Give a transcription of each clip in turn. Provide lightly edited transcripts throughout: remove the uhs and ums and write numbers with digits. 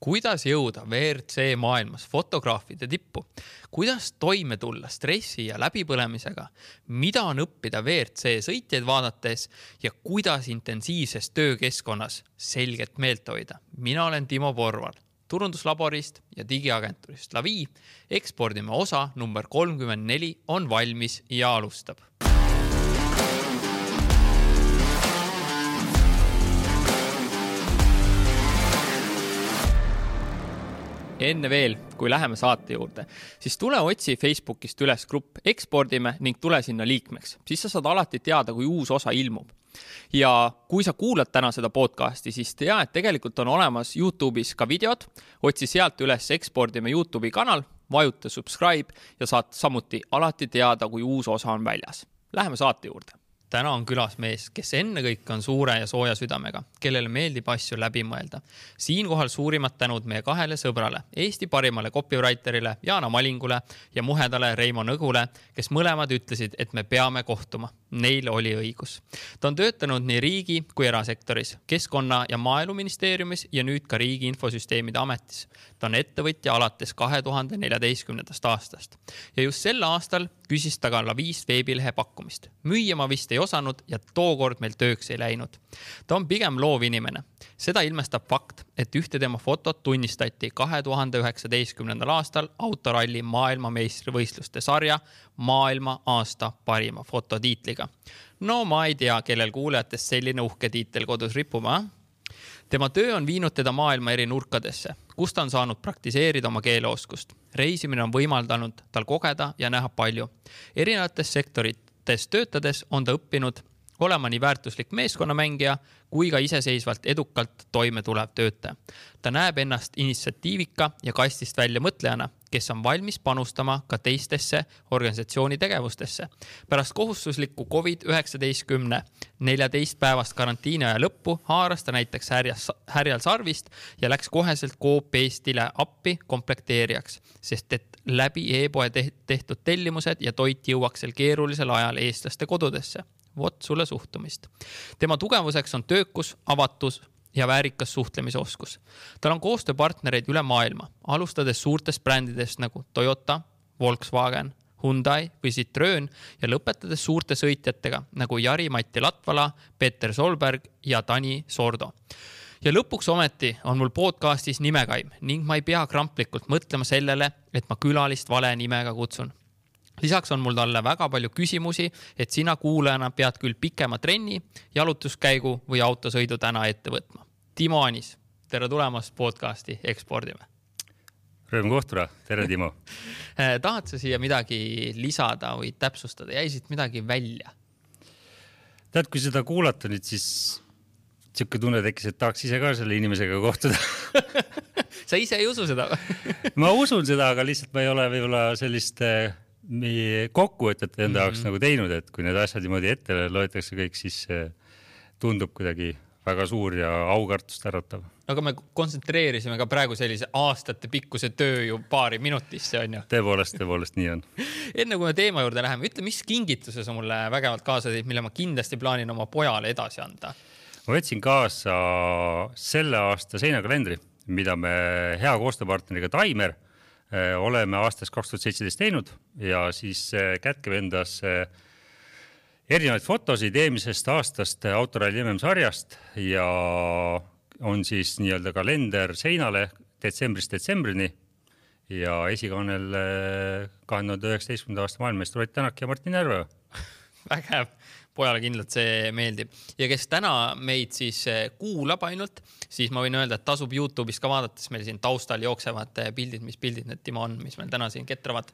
Kuidas jõuda WRC maailmas fotograafide tippu? Kuidas toime tulla stressi ja läbipõlemisega? Mida on õppida WRC sõitjaid vaadates ja kuidas intensiivses töökeskkonnas selgelt meelt hoida? Mina olen Timo Porval, turunduslaborist ja digiagenturist Lavi. Ekspordime osa number 34 on valmis ja alustab. Enne veel, kui läheme saate juurde, siis tule otsi Facebookist üles grupp Ekspordime ning tule sinna liikmeks. Siis sa saad alati teada, kui uus osa ilmub. Ja kui sa kuulad täna seda podcasti, siis tea, et tegelikult on olemas YouTube'is ka videod. Otsi sealt üles Ekspordime YouTube'i kanal, vajuta subscribe ja saad samuti alati teada, kui uus osa on väljas. Läheme saate juurde. Täna on külas mees, kes ennekõike on suure ja sooja südamega, kellele meeldib asju läbi mõelda. Siinkohal suurimad tänud meie kahele sõbrale, Eesti parimale copywriterile Jaana Malingule ja muhedale Reimo Nõgule, kes mõlemad ütlesid, et me peame kohtuma. Neil oli õigus. Ta on töötanud nii riigi kui erasektoris, keskkonna- ja maaeluministeeriumis ja nüüd ka riigi infosüsteemide ametis. Ta on ettevõtja alates 2014. aastast. Ja just sel aastal küsis ta ka Lavist veebilehe pakkumist. Müüa ma vist ei osanud ja tookord meil tööks ei läinud. Ta on pigem loov inimene. Seda ilmestab fakt, et ühte tema fotot tunnistati 2019. aastal autoralli maailmameistrivõistluste sarja maailma aasta parima fototiitliga. No ma ei tea, kellel kuulajatest selline uhke tiitel kodus ripuma. Tema töö on viinud teda maailma eri nurkadesse, kus ta on saanud praktiseerida oma keeleoskust. Reisimine on võimaldanud tal kogeda ja näha palju. Erinevates sektorites töötades on ta õppinud olema nii väärtuslik meeskonnamängija kui ka iseseisvalt edukalt toime tulev töötaja. Ta näeb ennast initsiatiivika ja kastist välja mõtlejana, kes on valmis panustama ka teistesse organisatsiooni tegevustesse. Pärast kohustuslikku COVID-19 14 päevast karantiini aja lõppu haaras ta näiteks härjal sarvist ja läks koheselt Coop Eestile appi komplekteerijaks, sest et läbi e-poe tehtud tellimused ja toit jõuaks sel keerulisel ajal eestlaste kodudesse. Vot sulle suhtumist. Tema tugevuseks on töökus, avatus ja väärikas suhtlemisoskus. Tal on koostööpartnereid üle maailma, alustades suurtest brändidest nagu Toyota, Volkswagen, Hyundai või Citroen ja lõpetades suurte sõitjatega nagu Jari-Matti Latvala, Peter Solberg ja Tani Sordo. Ja lõpuks ometi on mul podcastis nimekaim ning ma ei pea kramplikult mõtlema sellele, et ma külalist vale nimega kutsun. Lisaks on mul talle väga palju küsimusi, et sina kuulajana pead küll pikema trenni, jalutuskäigu või autosõidu täna ette võtma. Timo Anis, tere tulemast podcasti Ekspordime. Rõõm kohtuda, tere Timo. Tahad sa siia midagi lisada või täpsustada? Jäisid midagi välja? Tead, kui seda kuulata nüüd, siis siuke tunne tekkis, et tahaks ise ka selle inimesega kohtuda. Sa ise ei usu seda? Ma usun seda, aga lihtsalt ma ei ole võib-olla sellist kokkuvõtet enda jaoks nagu teinud, et kui need asjad niimoodi ette loetakse kõik, siis tundub kuidagi väga suur ja aukartust äratav. Aga me kontsentreerisime ka praegu sellise aastate pikkuse töö ju paari minutisse, on ju? Tõepoolest nii on. Enne kui me teema juurde läheme, ütle, mis kingituse sa mulle vägevalt kaasa teid, mille ma kindlasti plaanin oma pojale edasi anda? Ma võtsin kaasa selle aasta seinakalendri, mida me hea koostööpartneriga Taimer oleme aastast 2017 teinud ja siis kätkeb endas erinevaid fotosid eelmisest aastast autoralli MM-sarjast ja on siis nii-öelda kalender seinale detsembrist detsembrini ja esikaanel 2019. aasta maailmameistrid Ott Tänak ja Martin Järve. Vägev. Pojale kindlalt see meeldib. Ja kes täna meid siis kuulab ainult, siis ma võin öelda, et tasub YouTube'is ka vaadates meil siin taustal jooksevad pildid, mis pildid need Timo on, mis meil täna siin ketravad.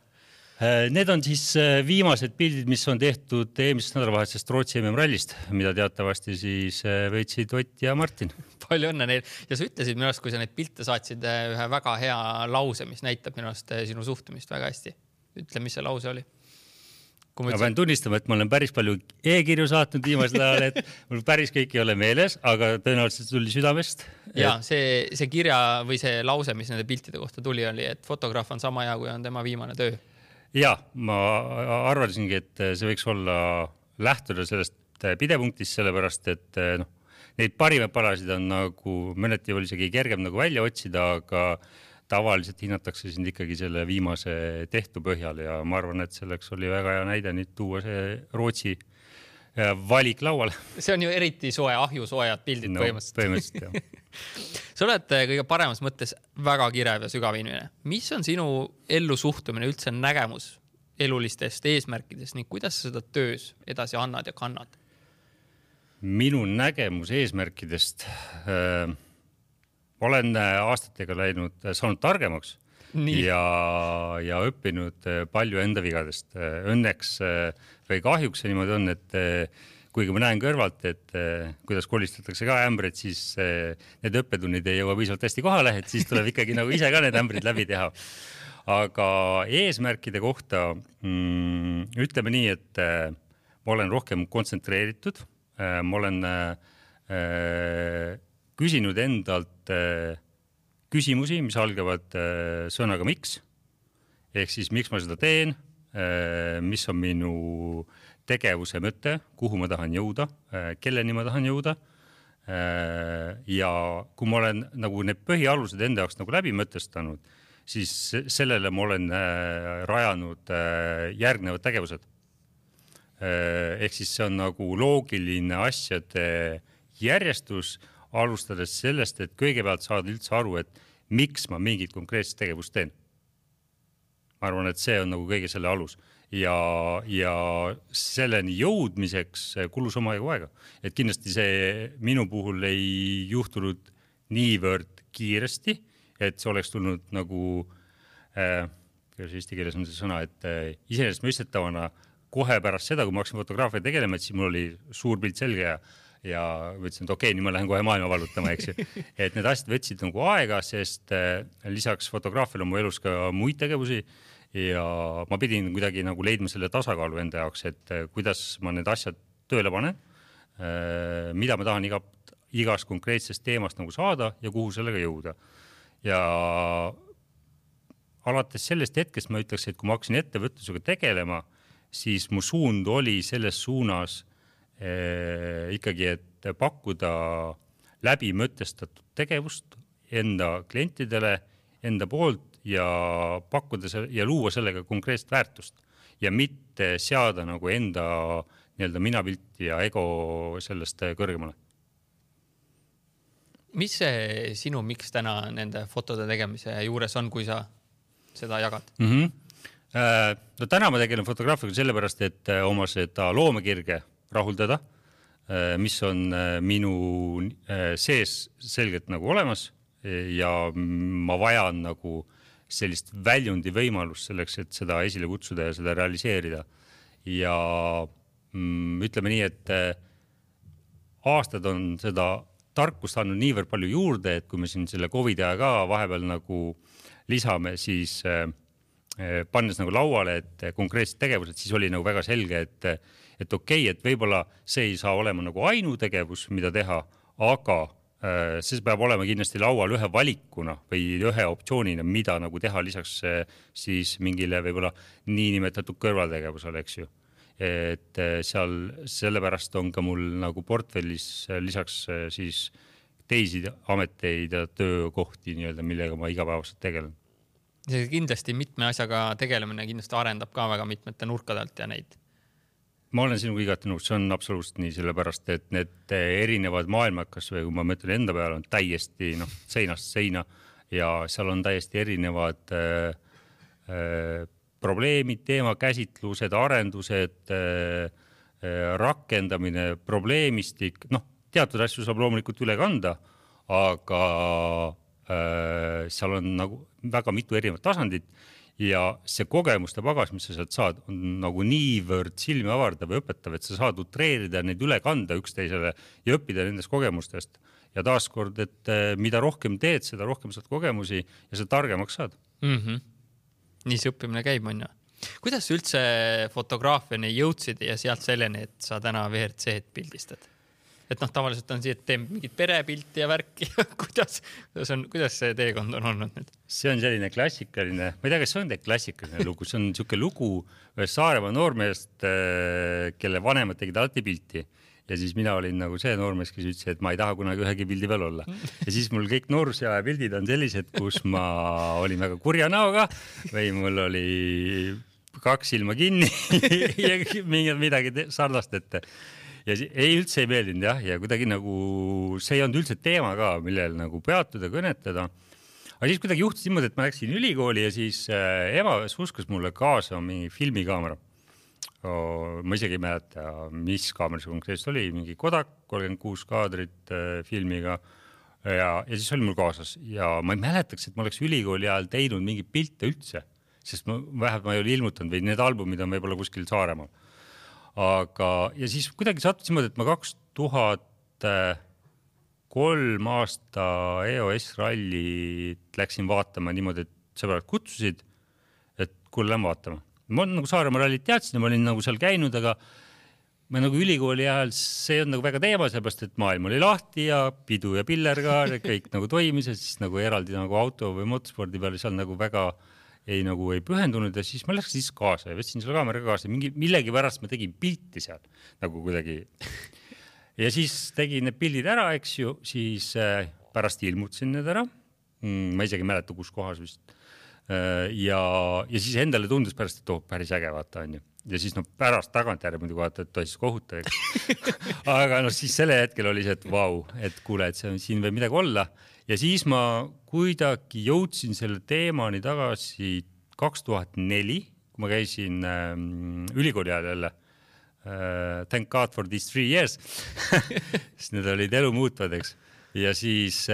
Need on siis viimased pildid, mis on tehtud eelmisest nädalavahetusest Rootsi MM-rallist, mida teatavasti siis võitsid Ott ja Martin. Palju õnne neil. Ja sa ütlesid minu arust, kui sa neid pilte saatsid ühe väga hea lause, mis näitab minu arust sinu suhtumist väga hästi. Ütle, mis see lause oli? Ma pean tunnistama, et ma olen päris palju e-kirju saatnud viimasel ajal, et mul päris kõik ei ole meeles, aga tõenäoliselt tuli südamest. Ja see kirja või see lause, mis nende piltide kohta tuli, oli, et fotograaf on sama hea, kui on tema viimane töö. Ja, ma arvasingi, et see võiks olla lähtuda sellest pidepunktist, sellepärast, et neid parimaid palasid on nagu mõneti oli isegi kergem nagu välja otsida, aga tavaliselt hinnatakse sind ikkagi selle viimase tehtu põhjal ja ma arvan, et selleks oli väga hea näide nüüd tuua see Rootsi valik lauale. See on ju eriti soe, ahjusoojad pildid põhimõtteliselt jah. Sa oled kõige paremas mõttes väga kirev ja sügav inimene. Mis on sinu ellu suhtumine, üldse nägemus elulistest eesmärkidest ning kuidas sa seda töös edasi annad ja kannad? Minu nägemus eesmärkidest olen aastatega saanud targemaks ja õppinud palju enda vigadest. Õnneks või kahjuks niimoodi on, et kuigi ma näen kõrvalt, et kuidas kolistatakse ka ämbrid, siis need õppetunnid ei jõua piisavalt hästi kohale, et siis tuleb ikkagi nagu ise ka need ämbrid läbi teha. Aga eesmärkide kohta ütleme nii, et ma olen rohkem kontsentreeritud. Ma olen küsinud endalt küsimusi, mis algavad sõnaga miks. Ehk siis miks ma seda teen, mis on minu tegevuse mõte, kuhu ma tahan jõuda, kelleni ma tahan jõuda. Ja kui ma olen nagu need põhialused enda jaoks nagu läbi mõtestanud, siis sellele ma olen rajanud järgnevad tegevused. Ehk siis see on nagu loogiline asjade järjestus, alustades sellest, et kõigepealt saada üldse aru, et miks ma mingit konkreetset tegevust teen. Ma arvan, et see on nagu kõige selle alus. Ja selleni jõudmiseks kulus omajagu aega. Et kindlasti see minu puhul ei juhtunud niivõrd kiiresti, et see oleks tulnud nagu, kuidas eesti keeles on see sõna, et iseenesest mõistetavana kohe pärast seda, kui ma hakkasin fotograafia tegelema, et siis mul oli suur pilt selge ja võtsin, et okei, nüüd ma lähen kohe maailma valutama, eks ju. Et need asjad võtsid nagu aega, sest lisaks fotograafiale on mu elus ka muid tegevusi ja ma pidin kuidagi nagu leidma selle tasakaalu enda jaoks, et kuidas ma need asjad tööle panen, mida ma tahan igast konkreetsest teemast nagu saada ja kuhu sellega jõuda. Ja alates sellest hetkest ma ütleks, et kui ma hakkasin ettevõtlusega tegelema, siis mu suund oli selles suunas ikkagi, et pakkuda läbi mõtestatud tegevust enda klientidele, enda poolt ja pakkuda ja luua sellega konkreetset väärtust ja mitte seada nagu enda nii-öelda minapilti ja ego sellest kõrgemale. Mis see sinu miks täna nende fotode tegemise juures on, kui sa seda jagad? No täna ma tegelen fotograafiaga sellepärast, et oma seda loomekirge rahuldada, mis on minu sees selgelt nagu olemas ja ma vajan nagu sellist väljundi võimalust selleks, et seda esile kutsuda ja seda realiseerida. Ja ütleme nii, et aastad on seda tarkust andnud niivõrd palju juurde, et kui me siin selle COVID aja ka vahepeal nagu lisame, siis pannes nagu lauale, et konkreetsed tegevused, siis oli nagu väga selge, et okei, et võib-olla see ei saa olema nagu ainutegevus, mida teha, aga see peab olema kindlasti laual ühe valikuna või ühe optsioonina, mida nagu teha lisaks siis mingile võib-olla niinimetatud kõrvaltegevusele, eks ju. Et seal sellepärast on ka mul nagu portfellis lisaks siis teisi ameteid ja töökohti, nii-öelda, millega ma igapäevaselt tegelen. See kindlasti mitme asjaga tegelemine kindlasti arendab ka väga mitmete nurkadelt ja neid. Ma olen sinuga igati nõus, see on absoluutselt nii, sellepärast, et need erinevad maailmakas või kui ma mõtlen enda peale, on täiesti seinast seina ja seal on täiesti erinevad probleemid, teemakäsitlused, arendused, rakendamine, probleemistik, teatud asju saab loomulikult üle kanda, aga seal on nagu väga mitu erinevat tasandit ja see kogemuste pagas, mis sa sealt saad, on nagu niivõrd silmi avardav ja õpetav, et sa saad utreerida neid üle kanda üksteisele ja õppida nendest kogemustest. Ja taaskord, et mida rohkem teed, seda rohkem saad kogemusi ja sa targemaks saad. Nii see õppimine käib, on ju. Kuidas sa üldse fotograafiani jõudsid ja sealt selleni, et sa täna VRC-d pildistad? Et tavaliselt on see, et teeme mingit perepilti ja värki. Kuidas see teekond on olnud nüüd? See on selline klassikaline, ma ei tea, kas see on klassikaline lugu, see on niisugune lugu Saaremaa noormeest, kelle vanemad tegid alati pilti ja siis mina olin nagu see noormees, kes ütles, et ma ei taha kunagi ühegi pildi peal olla. Ja siis mul kõik noorusaja pildid on sellised, kus ma olin väga kurja näoga või mul oli 2 silma kinni ja midagi sarnast ette. Ja üldse ei meeldinud jah, ja kuidagi nagu see ei olnud üldse teema ka, millel nagu peatuda, kõnetada. Aga siis kuidagi juhtus niimoodi, et ma läksin ülikooli ja siis ema uskas mulle kaasa mingi filmikaamera. Ma isegi ei mäleta, mis kaamera see konkreetselt oli, mingi Kodak 36 kaadrit filmiga ja siis oli mul kaasas ja ma ei mäletaks, et ma oleks ülikooli ajal teinud mingi pilte üldse, sest vähemalt ma ei ole ilmutanud või need albumid on võib-olla kuskil Saaremaal. Aga ja siis kuidagi sattus niimoodi, et ma 2003 aasta EOS rallit läksin vaatama niimoodi, et sõbrad kutsusid, et kuule, lähen vaatama. Ma nagu Saaremaa rallit teadsin ja ma olin nagu seal käinud, aga ma nagu ülikooli ajal see on nagu väga teema, sellepärast, et maailm oli lahti ja pidu ja pillerkaar ja kõik nagu toimis ja siis nagu eraldi nagu auto või motospordi peale seal nagu väga ei pühendunud ja siis ma läksin siis kaasa ja võtsin selle kaamera kaasa. Millegi pärast ma tegin pilti seal nagu kuidagi. Ja siis tegin need pildid ära, eks ju, siis pärast ilmutasin need ära. Ma isegi mäleta, kus kohas vist. Ja siis endale tundus pärast, et päris äge vaata on ju. Ja siis pärast tagantjärgi muidugi vaata, et toisis kohutav. Aga siis selle hetkel oli see, et vau, et kuule, et siin võib midagi olla. Ja siis ma kuidagi jõudsin selle teemani tagasi 2004, kui ma käisin ülikooli ajal jälle. Thank God for these 3 years. Sest need olid elu muutvad, eks. Ja siis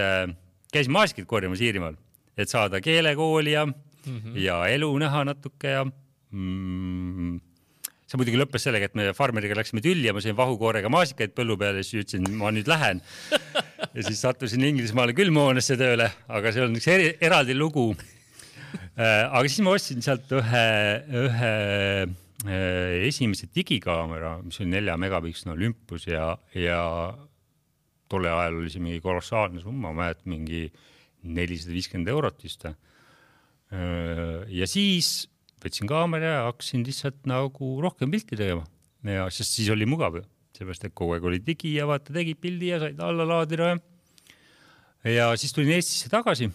käisin maasikid korjamas Iirimaal, et saada keelekooli ja elu näha natuke ja see muidugi lõppes sellega, et me farmeriga läksime tülli ja ma sain vahukoorega maasikaid põllu peale ja siis ütlesin, ma nüüd lähen. Ja siis sattusin Inglismaale külmhoonesse tööle, aga see on üks eraldi lugu. Aga siis ma ostsin sealt ühe esimese digikaamera, mis oli 4 megapiksel Olympus ja tolle ajal oli see mingi kolossaalne summa, ma mälet mingi 450 eurot vist. Ja siis võtsin kaamera ja hakkasin lihtsalt nagu rohkem pilti tegema. Ja sest siis oli mugav ju. Seepärast, et kogu aeg oli digi ja vaata tegid pildi ja said alla laadida. Ja siis tulin Eestisse tagasi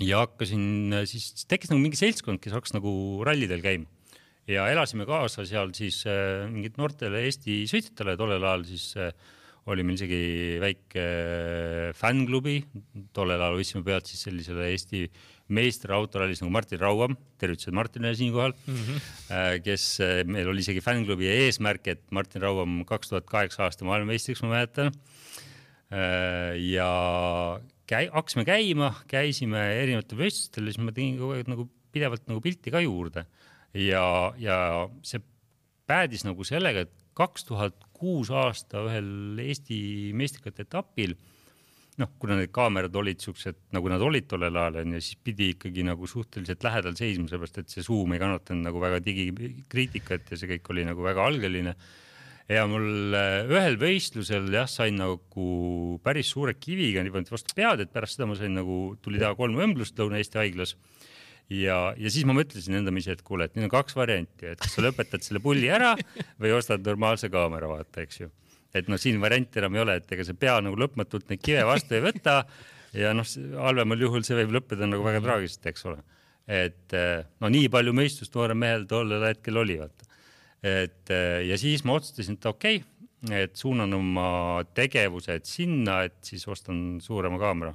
ja hakkasin, siis tekkis nagu mingi seltskond, kes hakkas nagu rallidel käima. Ja elasime kaasa seal siis mingid noortele Eesti sõitjatele. Tollel ajal siis oli meil isegi väike fänklubi. Tollel ajal võtsime pealt siis sellisele Eesti meister autorallis nagu Martin Rauam, tervitused Martinile siinkohal, kes meil oli isegi fänklubi eesmärk, et Martin Rauam 2008 aasta maailmameistriks, ma mäletan. Ja hakkasime käisime erinevate võistlustel, siis ma tegin kogu aeg nagu pidevalt nagu pilti ka juurde. Ja see päädis nagu sellega, et 2006 aasta ühel Eesti meistrikate etapil, kuna need kaamerad olid siuksed, nagu nad olid tollel ajal, ja siis pidi ikkagi nagu suhteliselt lähedal seisma, sellepärast, et see suum ei kannatanud nagu väga digikriitikat ja see kõik oli nagu väga algeline. Ja mul ühel võistlusel sain nagu päris suure kiviga nii vastu pead, et pärast seda ma sain nagu, tuli teha 3 õmblust Lõuna-Eesti haiglas. Ja siis ma mõtlesin endamisi, et kuule, et nüüd on 2 varianti, et kas sa lõpetad selle pulli ära või ostad normaalse kaamera, vaata, eks ju. Et siin varianti enam ei ole, et ega see pea nagu lõpmatult neid kive vastu ei võta ja halvemal juhul see võib lõppeda nagu väga traagiliselt, eks ole. Et nii palju mõistust noore mehel tollel hetkel oli, vaata. Ja siis ma otsustasin, et okei, et suunan oma tegevused sinna, et siis ostan suurema kaamera.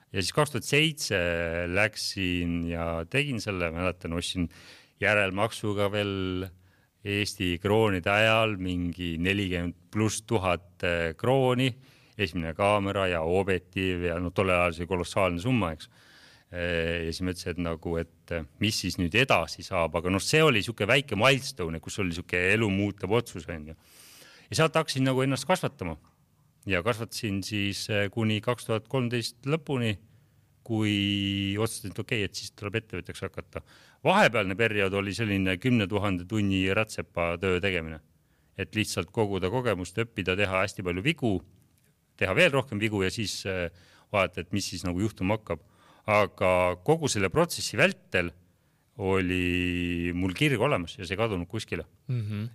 Ja siis 2007 läksin ja tegin selle, mäletan, ostsin järelmaksuga veel Eesti kroonide ajal mingi 40,000+ krooni, esimene kaamera ja objektiiv ja tolle ajal see kolossaalne summa, eks. Ja siis mõtlesin, et nagu, et mis siis nüüd edasi saab, aga see oli siuke väike milestone, kus oli siuke elu muutab otsus. Ja sealt hakkasin nagu ennast kasvatama ja kasvatasin siis kuni 2013 lõpuni, kui otsustasin, et okei, et siis tuleb ettevõtjaks hakata. Vahepealne periood oli selline 10 000 tunni rätsepa töö tegemine. Et lihtsalt koguda kogemust, õppida, teha hästi palju vigu, teha veel rohkem vigu ja siis vaadata, et mis siis nagu juhtuma hakkab. Aga kogu selle protsessi vältel oli mul kirg olemas ja see kadunud kuskile.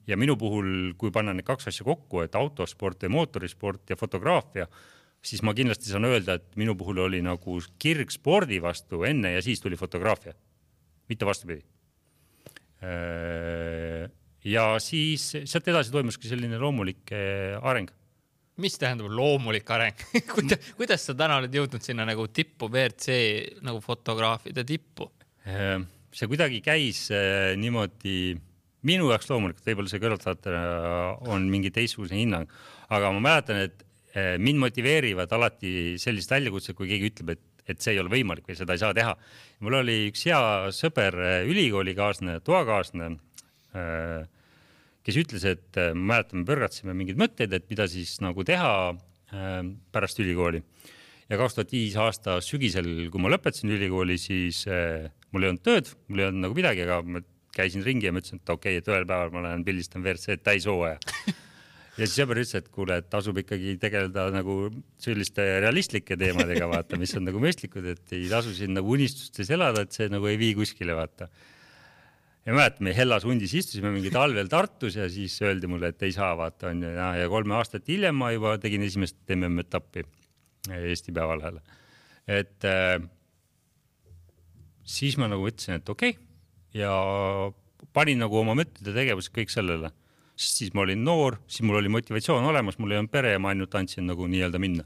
Ja minu puhul, kui panna need kaks asja kokku, et autosport ja mootorisport ja fotograafia, siis ma kindlasti saan öelda, et minu puhul oli nagu kirg spordi vastu enne ja siis tuli fotograafia. Mitte vastupidi. Ja siis sealt edasi toimuski selline loomulik areng. Mis tähendab loomulik areng? Kuidas sa täna oled jõudnud sinna nagu tippu, WRC nagu fotograafide tippu? See kuidagi käis niimoodi minu jaoks loomulikult, võib-olla see kõrvaltvaatajana on mingi teistsugune hinnang, aga ma mäletan, et mind motiveerivad alati sellised väljakutsed, kui keegi ütleb, et see ei ole võimalik või seda ei saa teha. Mul oli üks hea sõber, ülikoolikaasne, toakaasne, kes ütles, et mäletan, me põrgatsime mingid mõtteid, et mida siis nagu teha pärast ülikooli. Ja 2005 aasta sügisel, kui ma lõpetasin ülikooli, siis mul ei olnud tööd, mul ei olnud nagu midagi, aga ma käisin ringi ja ma ütlesin, et okei, et ühel päeval ma lähen pildistan WRC täishooaja. Ja siis sõber ütles, et kuule, et tasub ikkagi tegeleda nagu selliste realistlike teemadega, vaata, mis on nagu mõistlikud, et ei tasu siin nagu unistustes elada, et see nagu ei vii kuskile, vaata. Ja mäletame, Hellas hundis istusime mingi talvel Tartus ja siis öeldi mulle, et ei saa, vaata, on ja 3 aastat hiljem ma juba tegin esimest MM-etappi Eesti Päevalehele. Et siis ma nagu ütlesin, et okei, ja panin nagu oma mõtted ja tegevused kõik sellele. Siis ma olin noor, siis mul oli motivatsioon olemas, mul ei olnud pere ja ma ainult andsin nagu nii-öelda minna.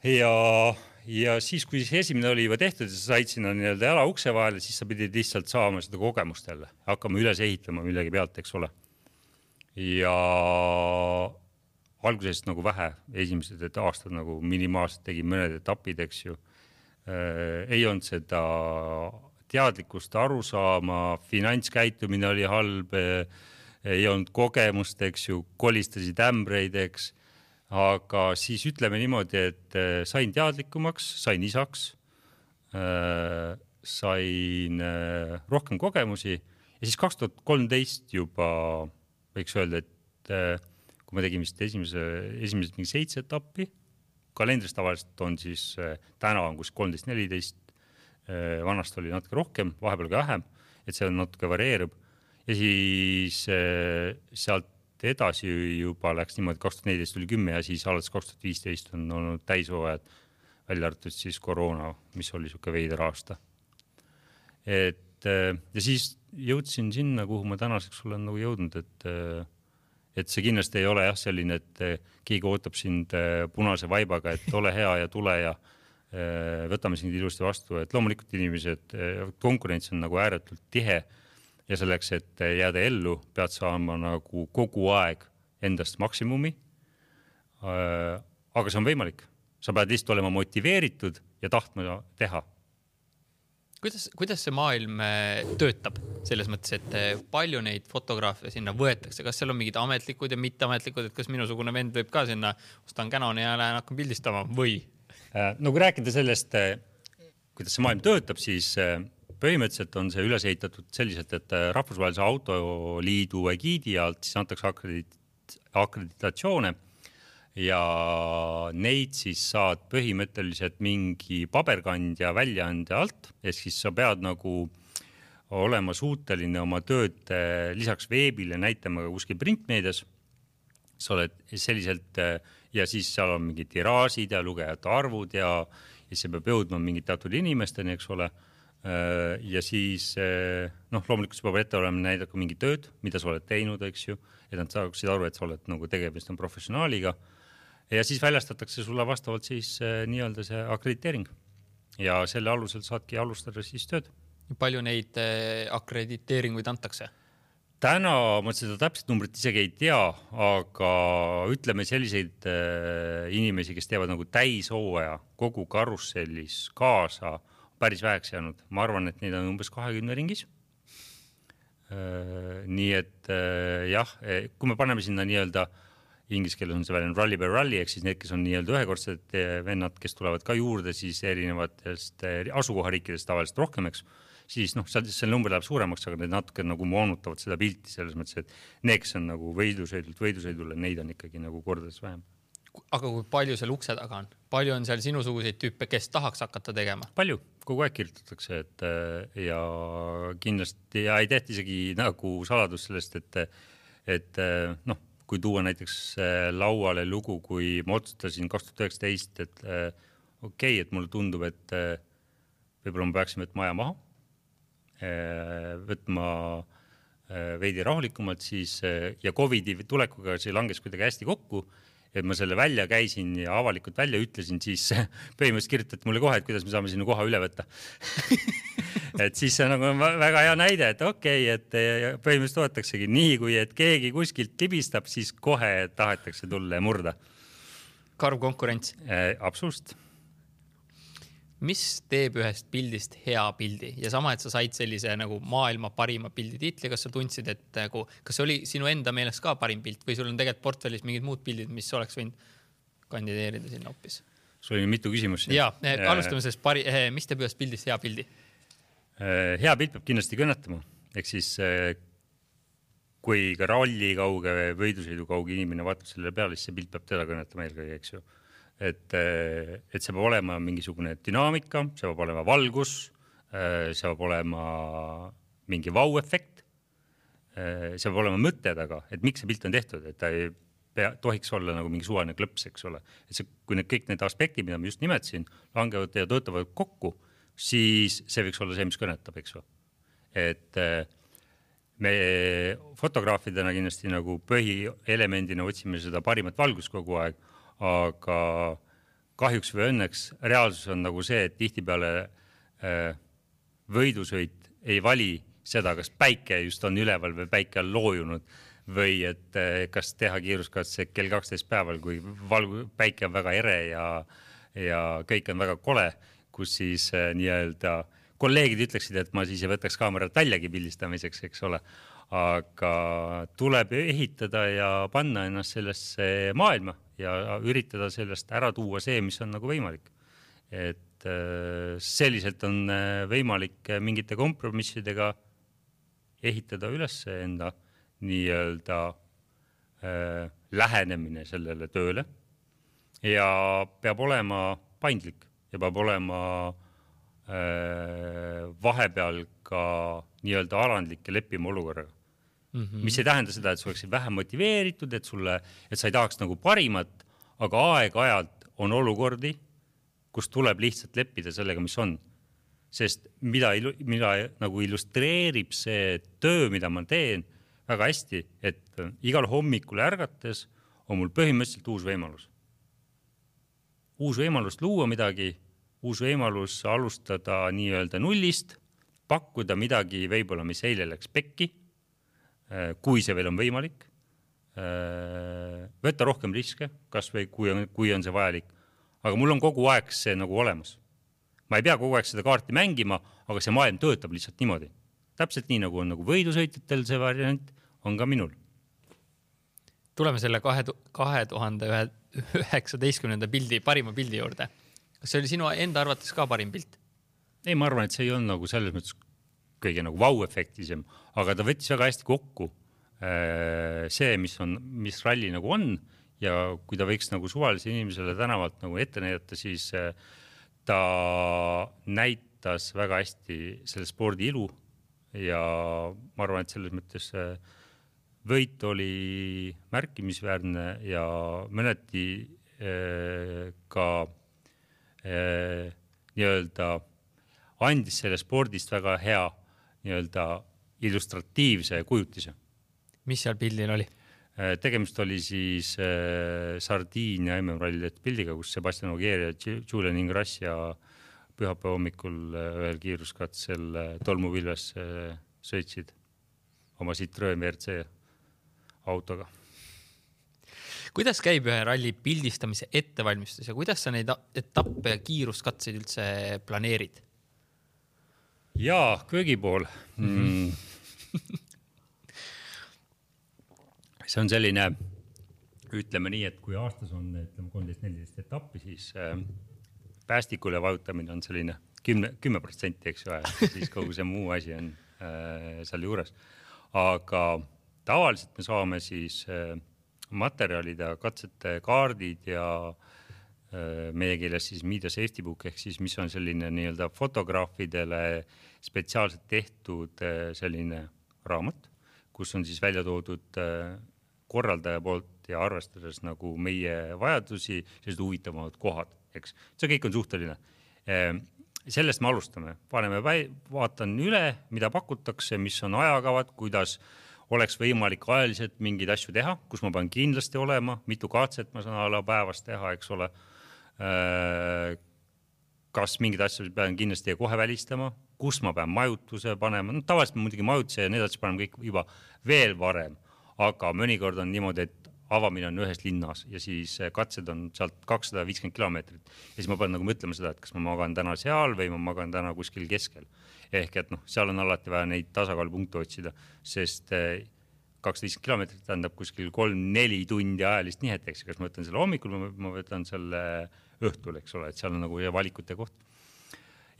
Ja siis, kui see esimene oli juba tehtud ja sa said sinna nii-öelda jala ukse vahele, siis sa pidid lihtsalt saama seda kogemust jälle. Hakkama üles ehitama millegi pealt, eks ole. Ja algusest nagu vähe, esimesed aastad nagu minimaalselt tegin mõned etapid, eks ju. Ei olnud seda teadlikkust aru saama, finantskäitumine oli halb, ei olnud kogemust, eks ju, kolistasid ämbreid, eks. Aga siis ütleme niimoodi, et sain teadlikumaks, sain isaks, sain rohkem kogemusi ja siis 2013 juba võiks öelda, et kui me tegime esimesed mingi 7 etappi, kalendrist tavaliselt on siis täna on kus 13-14, vanast oli natuke rohkem, vahepeal ka vähem, et see natuke varieerub ja siis sealt edasi juba läks niimoodi, 2014 tuli 10 ja siis alates 2015 on olnud täishooajad, välja arvatud siis koroona, mis oli siuke veider aasta. Ja siis jõudsin sinna, kuhu ma tänaseks olen nagu jõudnud, et see kindlasti ei ole jah selline, et keegi ootab sind punase vaibaga, et ole hea ja tule ja võtame sind ilusti vastu, et loomulikult inimesed, konkurents on nagu ääretult tihe ja selleks, et jääda ellu, pead saama nagu kogu aeg endast maksimumi. Aga see on võimalik. Sa pead lihtsalt olema motiveeritud ja tahtma teha. Kuidas see maailm töötab selles mõttes, et palju neid fotograafe sinna võetakse? Kas seal on mingid ametlikud ja mitteametlikud, et kas minusugune vend võib ka sinna ostan Canoni ja lähen hakkan pildistama või? No kui rääkida sellest, kuidas see maailm töötab, siis põhimõtteliselt on see üles ehitatud selliselt, et Rahvusvahelise Autoliidu egiidi alt siis antakse akreditatsioone ja neid siis saad põhimõtteliselt mingi paberkandja väljaandja alt, et siis sa pead nagu olema suuteline oma tööd lisaks veebile näitama ka kuskil printmeedias. Sa oled selliselt ja siis seal on mingid tiraasid ja lugejate arvud ja see peab jõudma mingid teatud inimesteni, eks ole. Ja siis loomulikult sa peab ette olema näidata mingi tööd, mida sa oled teinud, eks ju, et nad saaksid aru, et sa oled nagu tegemist on professionaaliga ja siis väljastatakse sulle vastavalt siis nii-öelda see akrediteering ja selle alusel saadki alustada siis tööd. Palju neid akrediteeringuid antakse? Täna ma seda täpselt numbrit isegi ei tea, aga ütleme selliseid inimesi, kes teevad nagu täishooaja kogu karussellis kaasa päris väheks jäänud. Ma arvan, et neid on umbes 20 ringis. Nii et jah, kui me paneme sinna nii-öelda inglise keeles on see väljend rally by rally, ehk siis need, kes on nii-öelda ühekordsed vennad, kes tulevad ka juurde siis erinevatest asukohariikidest tavaliselt rohkemaks, siis see number läheb suuremaks, aga need natuke nagu moonutavad seda pilti selles mõttes, et need, kes on nagu võidusõidule, neid on ikkagi nagu kordades vähem. Aga kui palju seal ukse taga on? Palju on seal sinusuguseid tüüpe, kes tahaks hakata tegema? Palju, kogu aeg kirjutatakse, ja kindlasti ei tehta isegi nagu saladus sellest, et kui tuua näiteks lauale lugu, kui ma otsustasin 2019, et okei, et mulle tundub, et võib-olla ma peaksin võtma aja maha, võtma veidi rahulikumalt siis ja COVID-i tulekuga see langes kuidagi hästi kokku, et ma selle välja käisin ja avalikult välja ütlesin, siis põhimõtteliselt kirjutati mulle kohe, et kuidas me saame sinna koha üle võtta. Et siis see on nagu väga hea näide, et okei, et põhimõtteliselt toetaksegi nii, kui et keegi kuskilt libistab, siis kohe tahetakse tulla ja murda. Karv konkurents. Absoluutselt. Mis teeb ühest pildist hea pildi ja sama, et sa said sellise nagu maailma parima pildi tiitli, kas sa tundsid, et kas see oli sinu enda meelest ka parim pilt või sul on tegelikult portfellis mingid muud pildid, mis oleks võinud kandideerida sinna hoopis? Sul oli mitu küsimus. Ja, alustame sellest mis teeb ühest pildist hea pildi? Hea pilt peab kindlasti kõnetama. Ehk siis, kui ka ralli kauge või võidusõidu kauge inimene vaatab selle peale, siis see pilt peab teda kõnetama eelkõige, eks ju. Et see peab olema mingisugune dünaamika, see peab olema valgus, see peab olema mingi vau-efekt, see peab olema mõtte taga, et miks see pilt on tehtud, et ta ei tohiks olla nagu mingi suvaline klõps, eks ole. Et see, kui kõik need aspektid, mida ma just nimetasin, langevad ja töötavad kokku, siis see võiks olla see, mis kõnetab, eks ole. Et me fotograafidena kindlasti nagu põhielemendina otsime seda parimat valgust kogu aeg, aga kahjuks või õnneks reaalsus on nagu see, et tihtipeale võidusõit ei vali seda, kas päike just on üleval või päike on loojunud või et kas teha kiiruskatse kell 12 päeval, kui päike on väga ere ja kõik on väga kole, kus siis nii-öelda kolleegid ütleksid, et ma siis ei võtaks kaamerat väljagi pildistamiseks, eks ole. Aga tuleb ehitada ja panna ennast sellesse maailma ja üritada sellest ära tuua see, mis on nagu võimalik. Et selliselt on võimalik mingite kompromissidega ehitada üles enda nii-öelda lähenemine sellele tööle ja peab olema paindlik ja peab olema vahepeal ka nii-öelda alandlik ja leppima olukorraga. Mis ei tähenda seda, et sa oleksid vähem motiveeritud, et sa ei tahaks nagu parimat, aga aeg-ajalt on olukordi, kus tuleb lihtsalt leppida sellega, mis on. Sest mida nagu illustreerib see töö, mida ma teen väga hästi, et igal hommikul ärgates on mul põhimõtteliselt uus võimalus. Uus võimalus luua midagi, uus võimalus alustada nii-öelda nullist, pakkuda midagi võib-olla, mis eile läks pekki, kui see veel on võimalik, võtta rohkem riske, kas või kui on see vajalik, aga mul on kogu aeg see nagu olemas. Ma ei pea kogu aeg seda kaarti mängima, aga see maailm töötab lihtsalt niimoodi. Täpselt nii, nagu on nagu võidusõitjatel see variant, on ka minul. Tuleme selle 2019. pildi, parima pildi juurde. Kas see oli sinu enda arvates ka parim pilt? Ei, ma arvan, et see ei olnud nagu selles mõttes kõige nagu vau-efektisem, aga ta võttis väga hästi kokku see, mis ralli nagu on ja kui ta võiks nagu suvalise inimesele tänavalt nagu ette näidata, siis ta näitas väga hästi selle spordi ilu ja ma arvan, et selles mõttes võit oli märkimisväärne ja mõneti ka nii-öelda andis selle spordist väga hea nii-öelda illustratiivse kujutise. Mis seal pildil oli? Tegemist oli siis Sardiinia MM-ralli pildiga, kus Sebastian Ogier ja Julian Ingrassia ja pühapäeva hommikul ühel kiiruskatsel tolmupilves sõitsid oma Citroen WRC autoga. Kuidas käib ühe ralli pildistamise ettevalmistus ja kuidas sa neid etappe ja kiiruskatseid üldse planeerid? Jaa, köögi pool. See on selline, ütleme nii, et kui aastas on 13-14 etappi, siis päästikule vajutamine on selline 10%, eks ju, siis kogu see muu asi on seal juures. Aga tavaliselt me saame siis materjalid ja katsete kaardid ja meie keeles siis Media Safety Book ehk siis mis on selline nii-öelda fotograafidele spetsiaalselt tehtud selline raamat, kus on siis välja toodud korraldaja poolt ja arvestades nagu meie vajadusi, sellised huvitavamad kohad, eks. See kõik on suhteline. Sellest me alustame, vaatan üle, mida pakutakse, mis on ajakavad, kuidas oleks võimalik ajaliselt mingeid asju teha, kus ma pean kindlasti olema, mitu katset ma saan päevas teha, eks ole. Kas mingid asjad pean kindlasti kohe välistama, kus ma pean majutuse panema, tavaliselt ma muidugi majutuse ja need asjad paneme kõik juba veel varem, aga mõnikord on niimoodi, et avamine on ühes linnas ja siis katsed on sealt 250 kilomeetrit ja siis ma pean nagu mõtlema seda, et kas ma magan täna seal või ma magan täna kuskil keskel. Ehk et seal on alati vaja neid tasakaalupunkte otsida, sest 250 kilomeetrit tähendab kuskil 3-4 tundi ajalist nihet, eks, kas ma võtan selle hommikul, ma võtan selle õhtul, eks ole, et seal on nagu valikute koht.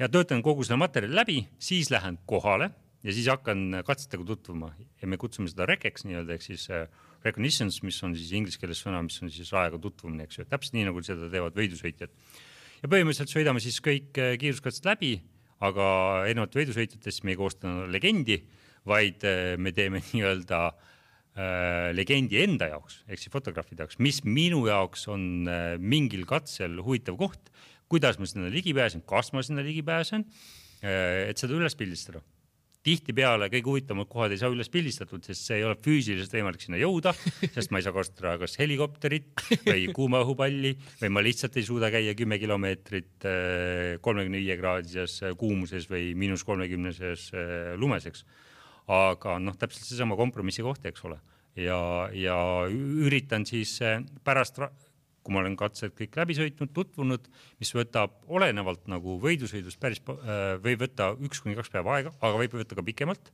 Ja töötan kogu selle materjali läbi, siis lähen kohale ja siis hakkan katsetega tutvuma ja me kutsume seda rekeks nii-öelda, ehk siis recognitions, mis on siis inglise keeles sõna, mis on siis ajaga tutvumine, eks ju, täpselt nii nagu seda teevad võidusõitjad. Ja põhimõtteliselt sõidame siis kõik kiiruskatsed läbi, aga erinevalt võidusõitjatest me ei koosta legendi, vaid me teeme nii-öelda legendi enda jaoks, ehk siis fotograafide jaoks, mis minu jaoks on mingil katsel huvitav koht, kuidas ma sinna ligi pääsen, kas ma sinna ligi pääsen, et seda üles pildistada. Tihtipeale kõik huvitavamad kohad ei saa üles pildistatud, sest see ei ole füüsiliselt võimalik sinna jõuda, sest ma ei saa kasutada kas helikopterit või kuuma õhupalli või ma lihtsalt ei suuda käia 10 kilomeetrit 35 kraadises kuumuses või -30-ses lumeseks. Aga täpselt seesama kompromissi koht, eks ole. Ja üritan siis pärast, kui ma olen katsed kõik läbi sõitnud, tutvunud, mis võtab olenevalt nagu võidusõidust päris, võib võtta 1-2 päeva aega, aga võib võtta ka pikemalt,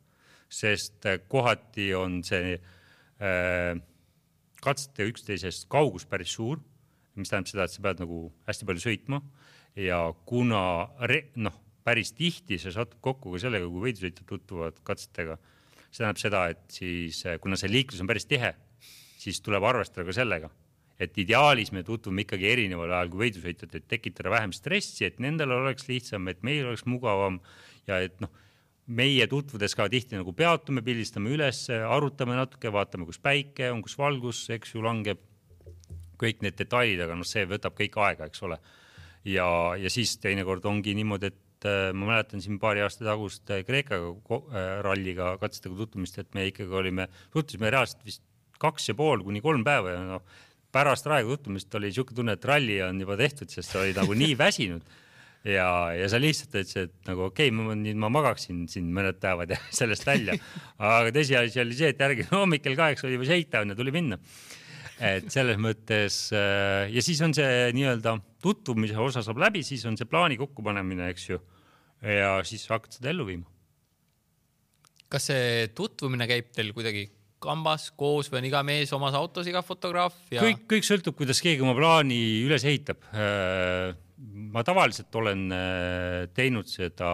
sest kohati on see katsete üksteisest kaugus päris suur, mis tähendab seda, et sa pead nagu hästi palju sõitma ja kuna päris tihti see satub kokku ka sellega, kui võidusõitjad tutvuvad katsetega. See tähendab seda, et siis, kuna see liiklus on päris tihe, siis tuleb arvestada ka sellega, et ideaalis me tutvume ikkagi erineval ajal kui võidusõitjad, et tekitada vähem stressi, et nendel oleks lihtsam, et meil oleks mugavam ja et meie tutvudes ka tihti nagu peatume, pildistame üles, arutame natuke, vaatame, kus päike on, kus valgus, eks ju langeb, kõik need detailid, aga see võtab kõik aega, eks ole. Ja siis teinekord ongi niimoodi, et ma mäletan siin paari aasta tagust Kreeka ralliga katsetega tutvumist, et me ikkagi tutvusime reaalselt vist 2,5-3 päeva ja pärast raega tutvumist oli niisugune tunne, et ralli on juba tehtud, sest sa oli nagu nii väsinud ja sa lihtsalt ütlesid, et nagu okei, ma magaksin siin mõned päevad ja sellest välja, aga tõsiasi oli see, et järgi hommikul 8 oli juba sõita ja tuli minna. Et selles mõttes ja siis on see nii-öelda tutvumise osa saab läbi, siis on see plaani kokkupanemine, eks ju, ja siis hakkad seda ellu viima. Kas see tutvumine käib teil kuidagi kambas koos või on iga mees omas autos, iga fotograaf? Ja... Kõik sõltub, kuidas keegi oma plaani üles ehitab. Ma tavaliselt olen teinud seda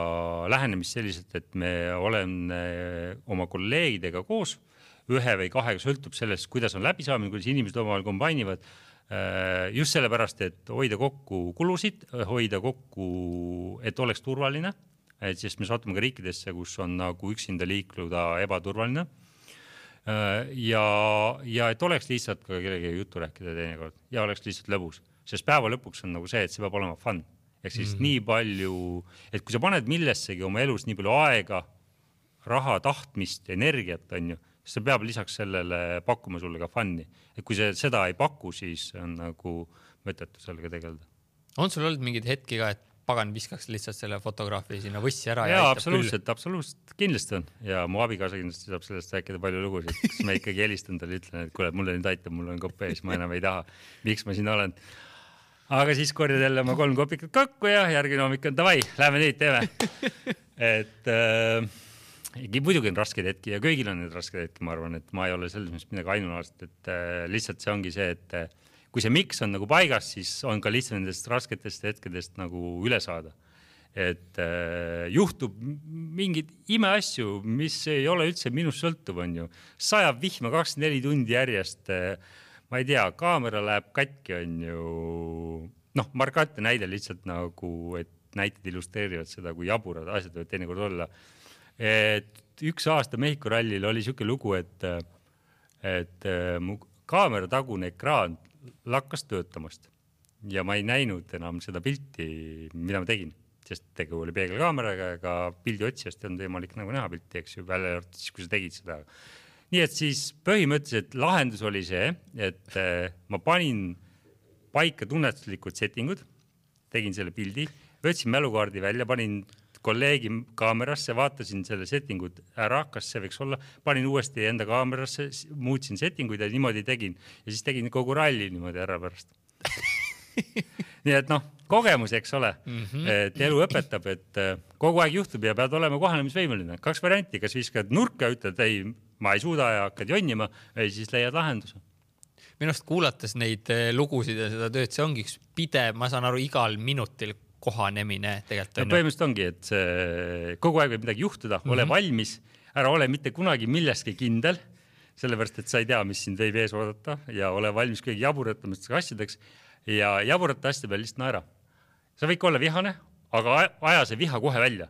lähenemist selliselt, et me olen oma kolleegidega koos, 1 või 2 sõltub sellest, kuidas on läbisaamine, kuidas inimesed omavahel kombainivad, just sellepärast, et hoida kokku kulusid, hoida kokku, et oleks turvaline, et sest me satume ka riikidesse, kus on nagu üksinda liikluda ebaturvaline ja et oleks lihtsalt ka kellegi juttu rääkida teinekord ja oleks lihtsalt lõbus, sest päeva lõpuks on nagu see, et see peab olema fun. Ehk siis nii palju, et kui sa paned millessegi oma elus nii palju aega, raha, tahtmist, energiat, on ju, see peab lisaks sellele pakkuma sulle ka fun'i. Et kui seda ei paku, siis on nagu mõttetu sellega tegeleda. On sul olnud mingid hetki ka, et pagan viskaks lihtsalt selle fotograafi sinna võssi ära? Ja absoluutselt kindlasti on. Ja mu abikaasa kindlasti saab sellest rääkida palju lugusid, kus ma ikkagi helistan talle, ütlen, et kuule, mulle nüüd aitab, mul on kopp ees, ma enam ei taha, miks ma siin olen. Aga siis korjad jälle oma 3 kopikat kokku ja järgmine hommik on davai, lähme neid teeme. Et muidugi on rasked hetki ja kõigil on need rasked hetki, ma arvan, et ma ei ole selles mõttes midagi ainulaadset, et lihtsalt see ongi see, et kui see miks on nagu paigas, siis on ka lihtsalt nendest rasketest hetkedest nagu üle saada. Et juhtub mingid imeasju, mis ei ole üldse minust sõltuv, on ju. Sajab vihma 24 tundi järjest. ma ei tea, kaamera läheb katki, on ju, noh, markantne näide lihtsalt nagu, et näited illustreerivad seda, kui jaburad asjad võivad teinekord olla. Et üks aasta Mehhiko rallil oli siuke lugu, et mu kaamera tagune ekraan lakkas töötamast ja ma ei näinud enam seda pilti, mida ma tegin, sest tegu oli peegelkaameraga, ega pildi otsijast on võimalik nagu näha pilti, eks ju, välja arvatud siis, kui sa tegid seda. Nii et siis põhimõtteliselt lahendus oli see, et ma panin paika tunnetuslikud settingud, tegin selle pildi, võtsin mälukaardi välja, panin kolleegi kaamerasse, vaatasin selle settingud ära, kas see võiks olla, panin uuesti enda kaamerasse, muutsin settinguid ja niimoodi tegin. Ja siis tegin kogu ralli niimoodi ära pärast. Nii et noh, kogemus, eks ole, et elu õpetab, et kogu aeg juhtub ja pead olema kohanemisvõimeline. 2 varianti, kas viskad nurka ja ütled, ei, ma ei suuda ja hakkad jonnima, või siis leiad lahenduse. Minust kuulates neid lugusid ja seda tööd, see ongi üks pidev, ma saan aru, igal minutil kohanemine tegelikult. No, põhimõtteliselt ongi, et kogu aeg võib midagi juhtuda, ole valmis, ära ole mitte kunagi millestki kindel, sellepärast, et sa ei tea, mis sind võib ees oodata ja ole valmis kõigi jaburatamiseks asjadeks ja jaburate asjade peal lihtsalt naera. Sa võid olla vihane, aga aja see viha kohe välja.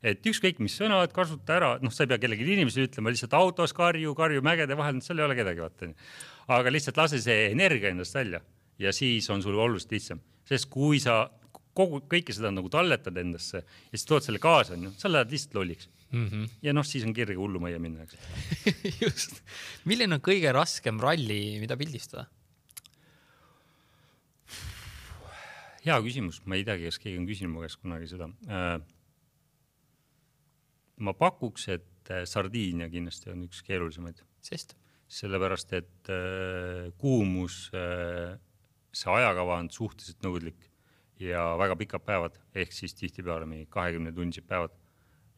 Et ükskõik, mis sõnad, kasuta ära, noh, sa ei pea kellegi inimesele ütlema, lihtsalt autos karju mägede vahel, seal ei ole kedagi vaata. Aga lihtsalt lase see energia endast välja ja siis on sul oluliselt lihtsam. Sest kui sa kõike seda nagu talletad endasse ja siis tood selle kaasa, sa lähed lihtsalt lolliks. Ja noh, siis on kirge hullumajja minna. Just. Milline on kõige raskem ralli, mida pildistada? Hea küsimus. Ma ei teagi, kas keegi on küsinud mu käest kunagi seda. Ma pakuks, et Sardiinia kindlasti on üks keerulisemaid. Sest? Sellepärast, et kuumus, see ajakava on suhteliselt nõudlik ja väga pikad päevad, ehk siis tihtipeale 20 tunnid päevad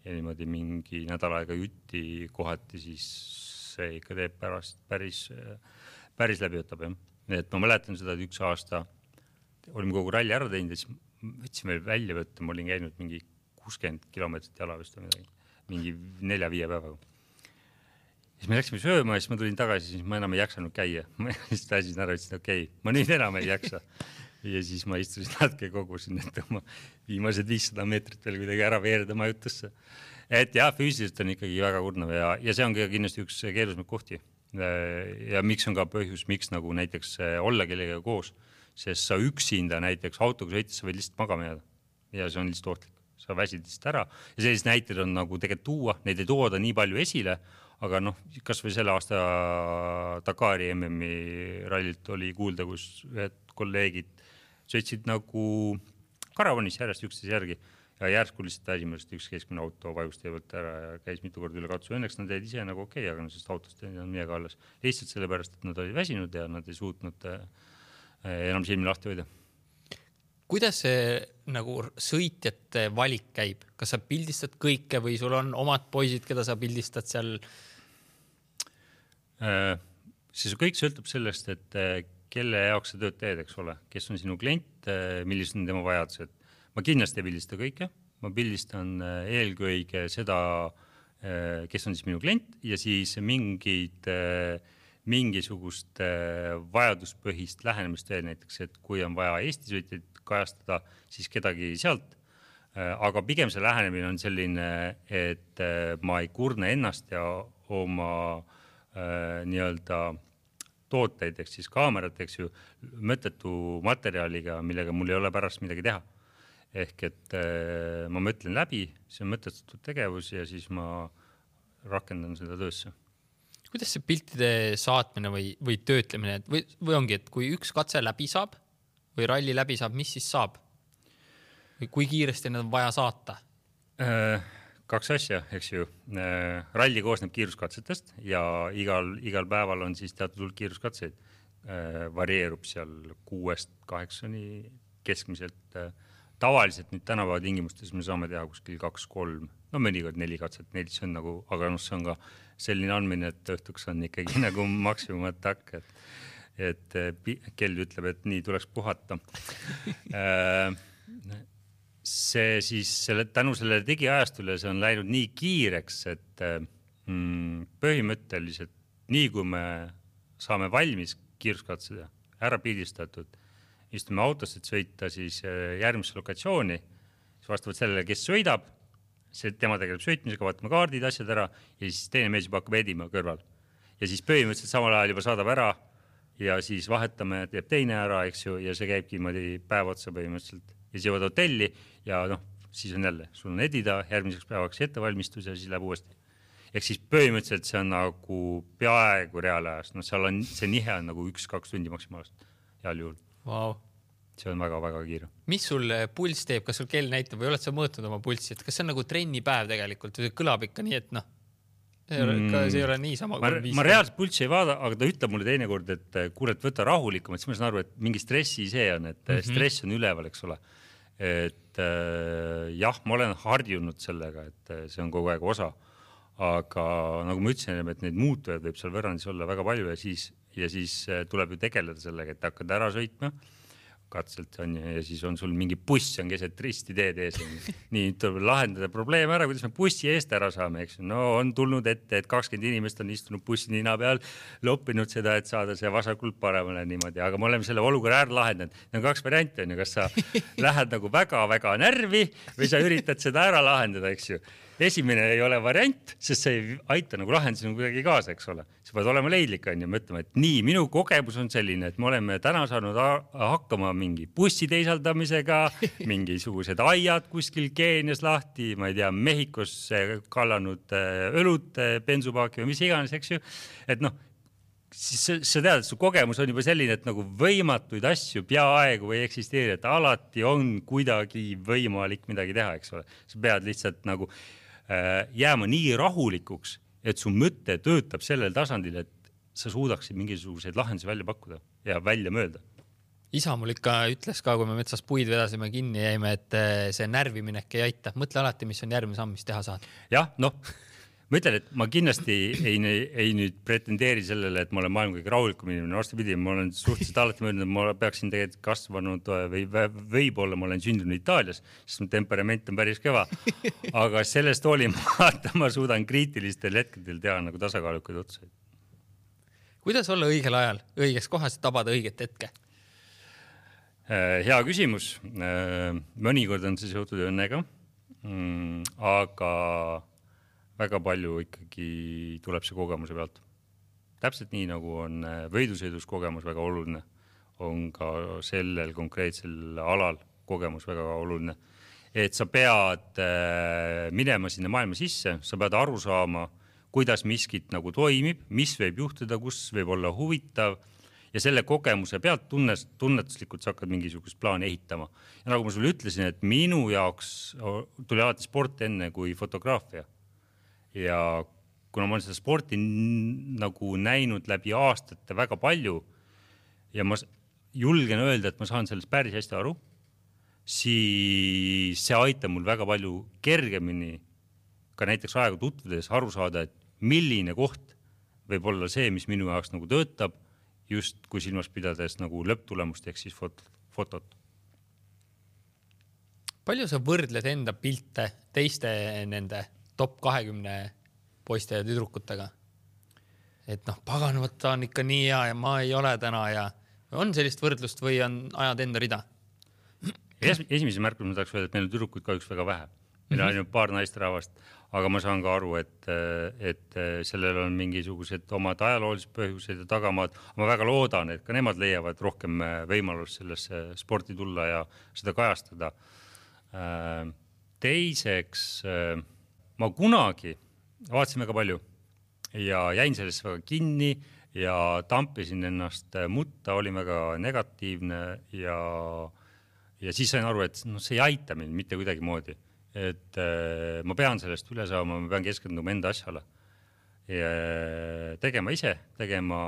ja niimoodi mingi nädal aega jutti kohati, siis see ikka teeb päris läbi võtab. Et ma mäletan seda, et üks aasta olime kogu ralli ära teinud ja siis võtsime välja võtta, ma olin käinud mingi 60 kilomeetrit jala vist või midagi, mingi 4-5 päevaga. Siis me läksime sööma ja siis ma tulin tagasi, siis ma enam ei jaksanud käia. Ma siis täisin ära, ütlesin, okei, ma nüüd enam ei jaksa. Ja siis ma istusin natuke kogusin, et oma viimased 500 meetrit veel kuidagi ära veerida majutusse. Et jah, füüsiliselt on ikkagi väga kurnav ja see on kindlasti üks keerulisemaid kohti. Ja miks on ka põhjus, miks nagu näiteks olla kellega koos, sest sa üksinda näiteks autoga sõites sa võid lihtsalt magama jääda ja see on lihtsalt ohtlik. Sa väsid lihtsalt ära ja sellised näited on nagu tegelikult tuua, neid ei tooda nii palju esile, aga noh, kas või selle aasta Dakari MM-i rallilt oli kuulda, kus ühed kolleegid sõitsid nagu karavanis järjest üksteise järgi ja järsku lihtsalt esimesest üks keskmine auto vajus teevalt ära ja käis mitu korda üle katsu. Õnneks nad jäid ise nagu okei, aga sest autost ei olnud midagi alles. Lihtsalt sellepärast, et nad olid väsinud ja nad ei suutnud enam silmi lahti hoida. Kuidas see nagu sõitjate valik käib? Kas sa pildistad kõike või sul on omad poisid, keda sa pildistad seal? See kõik sõltub sellest, et kelle jaoks sa tööd teed, eks ole, kes on sinu klient, millised on tema vajadused. Ma kindlasti ei pildista kõike, ma pildistan eelkõige seda, kes on siis minu klient ja siis mingisugust vajaduspõhist lähenemist veel näiteks, et kui on vaja Eesti sõitjaid kajastada, siis kedagi sealt. Aga pigem see lähenemine on selline, et ma ei kurne ennast ja oma nii-öelda tooteid, eks siis kaamerat, eks ju, mõttetu materjaliga, millega mul ei ole pärast midagi teha. Ehk et ma mõtlen läbi, see on mõtestatud tegevus ja siis ma rakendan seda töösse. Kuidas see piltide saatmine või töötlemine või ongi, et kui üks katse läbi saab või ralli läbi saab, mis siis saab? Või kui kiiresti need on vaja saata? 2 asja, eks ju. Ralli koosneb kiiruskatsetest ja igal päeval on siis teatud hulk kiiruskatseid. Varieerub seal 6-8 keskmiselt. Tavaliselt nüüd tänapäeva tingimustes me saame teha kuskil 2-3, no mõnikord 4 katset, 4 see on nagu, aga see on ka selline andmine, et õhtuks on ikkagi nagu maksimumatak, et kell ütleb, et nii tuleks puhata. See siis tänu sellele digiajastule see on läinud nii kiireks, et põhimõtteliselt nii kui me saame valmis kiiruskatsed ja ära pildistatud. Istume autosse, et sõita siis järgmisse lokatsiooni, siis vastavalt sellele, kes sõidab, tema tegeleb sõitmisega, vaatame kaardid, asjad ära ja siis teine mees juba hakkab edima kõrval. Ja siis põhimõtteliselt samal ajal juba saadab ära ja siis vahetame, teeb teine ära, eks ju, ja see käibki päev otsa põhimõtteliselt. Ja siis jõuad hotelli ja siis on jälle, sul on edida, järgmiseks päevaks ettevalmistus ja siis läheb uuesti. Ehk siis põhimõtteliselt see on nagu peaaegu reaalajas. Seal on see nihe on nagu 1-2 tundi maksimaalselt heal juhul. Wow. See on väga-väga kiire. Mis sul puls teeb, kas sul kell näitab või oled sa mõõtnud oma pulssi, et kas see on nagu trennipäev tegelikult või kõlab ikka nii, et see ei ole nii sama kui ma reaalselt pulssi ei vaada, aga ta ütleb mulle teinekord, et kuule, et võta rahulikum, et siis ma saan aru, et mingi stressi see on, et stress on üleval, eks ole. Et jah, ma olen harjunud sellega, et see on kogu aeg osa, aga nagu ma ütlesin, et neid muutujaid võib seal võrrandis olla väga palju ja siis tuleb ju tegeleda sellega, et hakkad ära sõitma katselt on ja siis on sul mingi buss on keset risti teed ees. Nii tuleb lahendada probleem ära, kuidas me bussi eest ära saame, eks. No on tulnud ette, et 20 inimest on istunud bussi nina peal, loppinud seda, et saada see vasakult paremale niimoodi, aga me oleme selle olukorra ära lahendanud. Need on 2 varianti, on ju, kas sa lähed nagu väga-väga närvi või sa üritad seda ära lahendada, eks ju. Esimene ei ole variant, sest see ei aita nagu lahendusena kuidagi kaasa, eks ole. Sa pead olema leidlik, on ju, mõtlema, et nii, minu kogemus on selline, et me oleme täna saanud hakkama mingi bussi teisaldamisega, mingisugused aiad kuskil Keenias lahti, ma ei tea, Mehhikos kallanud õlut, bensupaaki või mis iganes, eks ju. Et siis sa tead, et su kogemus on juba selline, et nagu võimatuid asju peaaegu ei eksisteeri, et alati on kuidagi võimalik midagi teha, eks ole. Sa pead lihtsalt nagu jääma nii rahulikuks, et su mõte töötab sellel tasandil, et sa suudaksid mingisuguseid lahendusi välja pakkuda ja välja mööda. Isa mul ikka ütles ka, kui me metsas puid vedasime kinni jäime, et see närviminek ei aita. Mõtle alati, mis on järgmine samm, mis teha saad. Jah, ma ütlen, et ma kindlasti ei nüüd pretendeeri sellele, et ma olen maailma kõige rahulikum inimene. Vastupidi, ma olen suhteliselt alati mõelnud, et ma peaksin tegelikult kasvanud või võib-olla ma olen sündinud Itaalias, sest mu temperament on päris kõva. Aga sellest hoolimata ma suudan kriitilistel hetkedel teha nagu tasakaalukaid otsuseid. Kuidas olla õigel ajal, õiges kohas ja tabada õiget hetke? Hea küsimus. Mõnikord on see seotud õnnega, aga väga palju ikkagi tuleb see kogemuse pealt. Täpselt nii, nagu on võidusõidus kogemus väga oluline, on ka sellel konkreetsel alal kogemus väga oluline. Et sa pead minema sinna maailma sisse, sa pead aru saama, kuidas miskit nagu toimib, mis võib juhtuda, kus võib olla huvitav ja selle kogemuse pealt tunnetuslikult sa hakkad mingisugust plaani ehitama. Ja nagu ma sulle ütlesin, et minu jaoks tuli alati sport enne kui fotograafia. Ja kuna ma olen seda sporti nagu näinud läbi aastate väga palju ja ma julgen öelda, et ma saan sellest päris hästi aru, siis see aitab mul väga palju kergemini ka näiteks aega tutvudes aru saada, et milline koht võib olla see, mis minu jaoks nagu töötab, just kui silmas pidades nagu lõpptulemust ehk siis fotot. Palju sa võrdled enda pilte teiste nende top 20 poiste ja tüdrukutega? Et paganavad ta on ikka nii hea ja ma ei ole täna ja on sellist võrdlust või on ajad enda rida? Esimese märkus ma tahaks öelda, et meil on tüdrukuid kahjuks väga vähe. Meil on ainult paar naisterahvast, aga ma saan ka aru, et sellel on mingisugused omad ajaloolised põhjused ja tagamaad. Ma väga loodan, et ka nemad leiavad rohkem võimalust sellesse sporti tulla ja seda kajastada. Teiseks, ma kunagi vaatasin väga palju ja jäin sellest väga kinni ja tampisin ennast mutta, olin väga negatiivne ja siis sain aru, et see ei aita mind mitte kuidagi moodi. Et ma pean sellest üle saama, ma pean keskenduma enda asjale. Ja tegema ise, tegema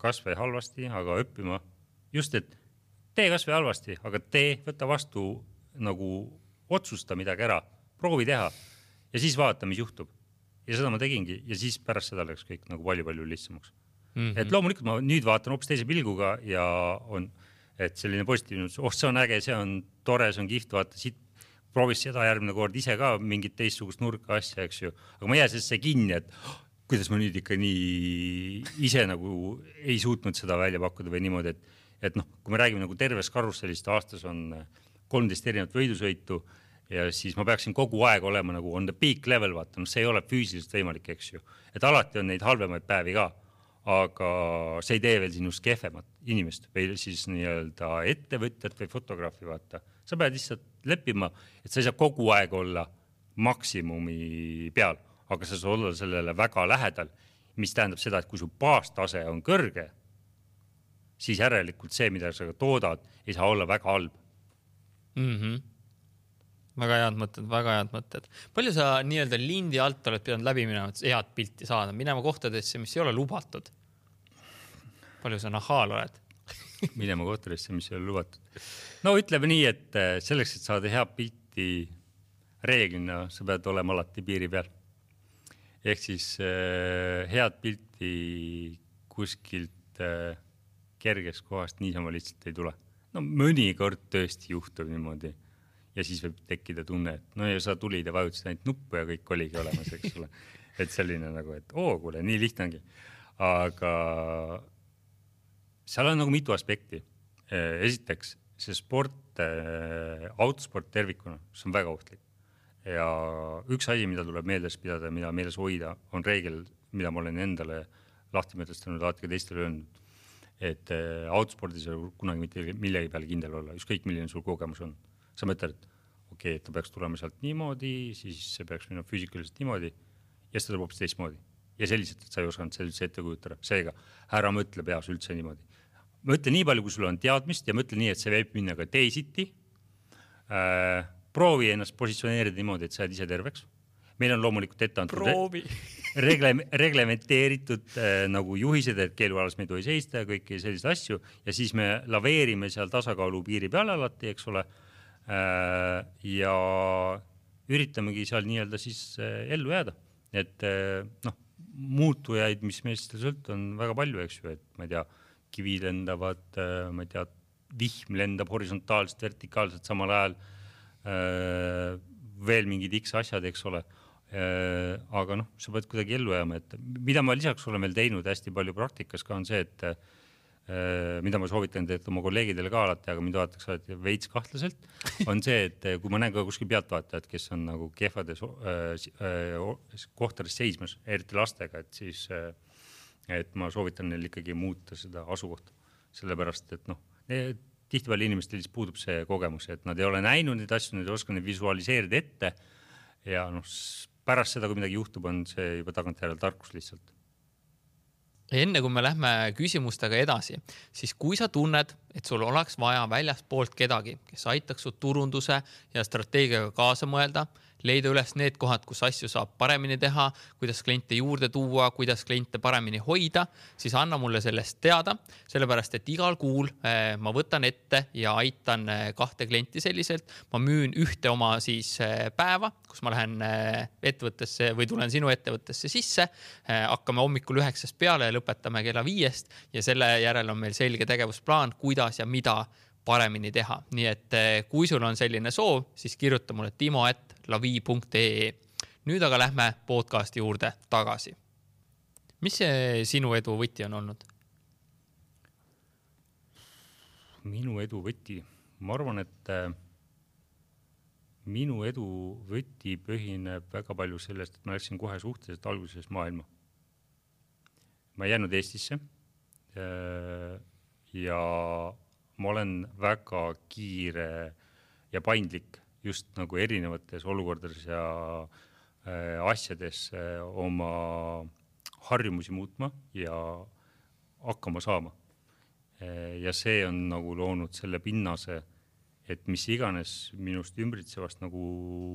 kas või halvasti, aga õppima. Just, et tee kas või halvasti, aga võta vastu nagu otsusta midagi ära, proovi teha ja siis vaata, mis juhtub. Ja seda ma tegingi ja siis pärast seda läks kõik nagu palju lihtsamaks. Et loomulikult ma nüüd vaatan hoopis teise pilguga ja on, et selline positiivne, see on äge, see on tore, see on kihvt, vaata siit proovis seda järgmine kord ise ka mingit teistsugust nurka asja, eks ju. Aga ma jää sellesse kinni, et kuidas ma nüüd ikka nii ise nagu ei suutnud seda välja pakkuda või niimoodi, et noh, kui me räägime nagu terves karussellist, aastas on 13 erinevat võidusõitu ja siis ma peaksin kogu aeg olema nagu on the peak level, vaata, no see ei ole füüsiliselt võimalik, eks ju. Et alati on neid halvemaid päevi ka, aga see ei tee veel sinust kehvemat inimest või siis nii-öelda ettevõtjat või fotograafi, vaata. Sa pead lihtsalt leppima, et sa ei saa kogu aeg olla maksimumi peal, aga sa saad olla sellele väga lähedal, mis tähendab seda, et kui su baastase on kõrge, siis järelikult see, mida sa toodad, ei saa olla väga halb. Väga head mõtted. Palju sa nii-öelda lindi alt oled pidanud läbi minema, et head pilti saada, minema kohtadesse, mis ei ole lubatud? Palju sa nahal oled? Minema kohtadesse, mis ei ole lubatud. No ütleme nii, et selleks, et saada head pilti reeglina, sa pead olema alati piiri peal. Ehk siis head pilti kuskilt kergest kohast niisama lihtsalt ei tule. No mõnikord tõesti juhtub niimoodi ja siis võib tekkida tunne, et no ja sa tulid ja vajutasid ainult nuppu ja kõik oligi olemas, eks ole. Et selline nagu, et kuule, nii lihtne ongi. Aga seal on nagu mitu aspekti. Esiteks, see sport, autosport tervikuna, see on väga ohtlik. Ja üks asi, mida tuleb meeles pidada, mida meeles hoida, on reegel, mida ma olen endale lahti mõtestanud, alati ka teistele öelnud, et autospordis ei ole kunagi mitte millegi peale kindel olla, ükskõik milline sul kogemus on. Sa mõtled, et ta peaks tulema sealt niimoodi, siis see peaks minna füüsikaliselt niimoodi ja seda tuleb hoopis teistmoodi. Ja selliselt, et sa ei osanud seda üldse ette kujutada. Seega, ära mõtle peas üldse niimoodi. Mõtle nii palju, kui sul on teadmist ja mõtle nii, et see võib minna ka teisiti. Proovi ennast positsioneerida niimoodi, et sa oled ise terveks. Meil on loomulikult ette antud reglementeeritud nagu juhised, et keelualas me ei tohi seista ja kõiki selliseid asju ja siis me laveerime seal tasakaalu piiri peal alati, eks ole, ja üritamegi seal nii-öelda siis ellu jääda. Et noh, muutujaid, mis meist sõlt on väga palju, eks ju, et ma ei tea, kivi lendavad, ma ei tea, vihm lendab horisontaalselt, vertikaalselt samal ajal, veel mingid X asjad, eks ole. Aga noh, sa pead kuidagi ellu jääma, et mida ma lisaks olen veel teinud hästi palju praktikas ka on see, et mida ma soovitan teed oma kolleegidele ka alati, aga mind vaadatakse alati veits kahtlaselt, on see, et kui ma näen ka kuskil pealtvaatajad, kes on nagu kehvades kohtades seismas, eriti lastega, et siis et ma soovitan neil ikkagi muuta seda asukohta. Sellepärast, et noh, tihtipeale inimestel puudub see kogemus, et nad ei ole näinud neid asju, nad ei oska neid visualiseerida ette ja noh, pärast seda, kui midagi juhtub, on see juba tagantjärel tarkus lihtsalt. Enne kui me lähme küsimustega edasi, siis kui sa tunned, et sul oleks vaja väljaspoolt kedagi, kes aitaks su turunduse ja strateegiaga kaasa mõelda, leida üles need kohad, kus asju saab paremini teha, kuidas kliente juurde tuua, kuidas kliente paremini hoida, siis anna mulle sellest teada, sellepärast et igal kuul ma võtan ette ja aitan 2 klienti selliselt. Ma müün ühte oma siis päeva, kus ma lähen ettevõttesse või tulen sinu ettevõttesse sisse, hakkame hommikul 9 peale ja lõpetame kella 5 ja selle järel on meil selge tegevusplaan, kuidas ja mida paremini teha. Nii et kui sul on selline soov, siis kirjuta mulle timo@lavi.ee. Nüüd aga lähme podcasti juurde tagasi. Mis see sinu edu võti on olnud? Minu edu võti? Ma arvan, et minu edu võti põhineb väga palju sellest, et ma läksin kohe suhteliselt alguses maailma. Ma ei jäänud Eestisse ja ma olen väga kiire ja paindlik just nagu erinevates olukordades ja asjades oma harjumusi muutma ja hakkama saama. Ja see on nagu loonud selle pinnase, et mis iganes minust ümbritsevast nagu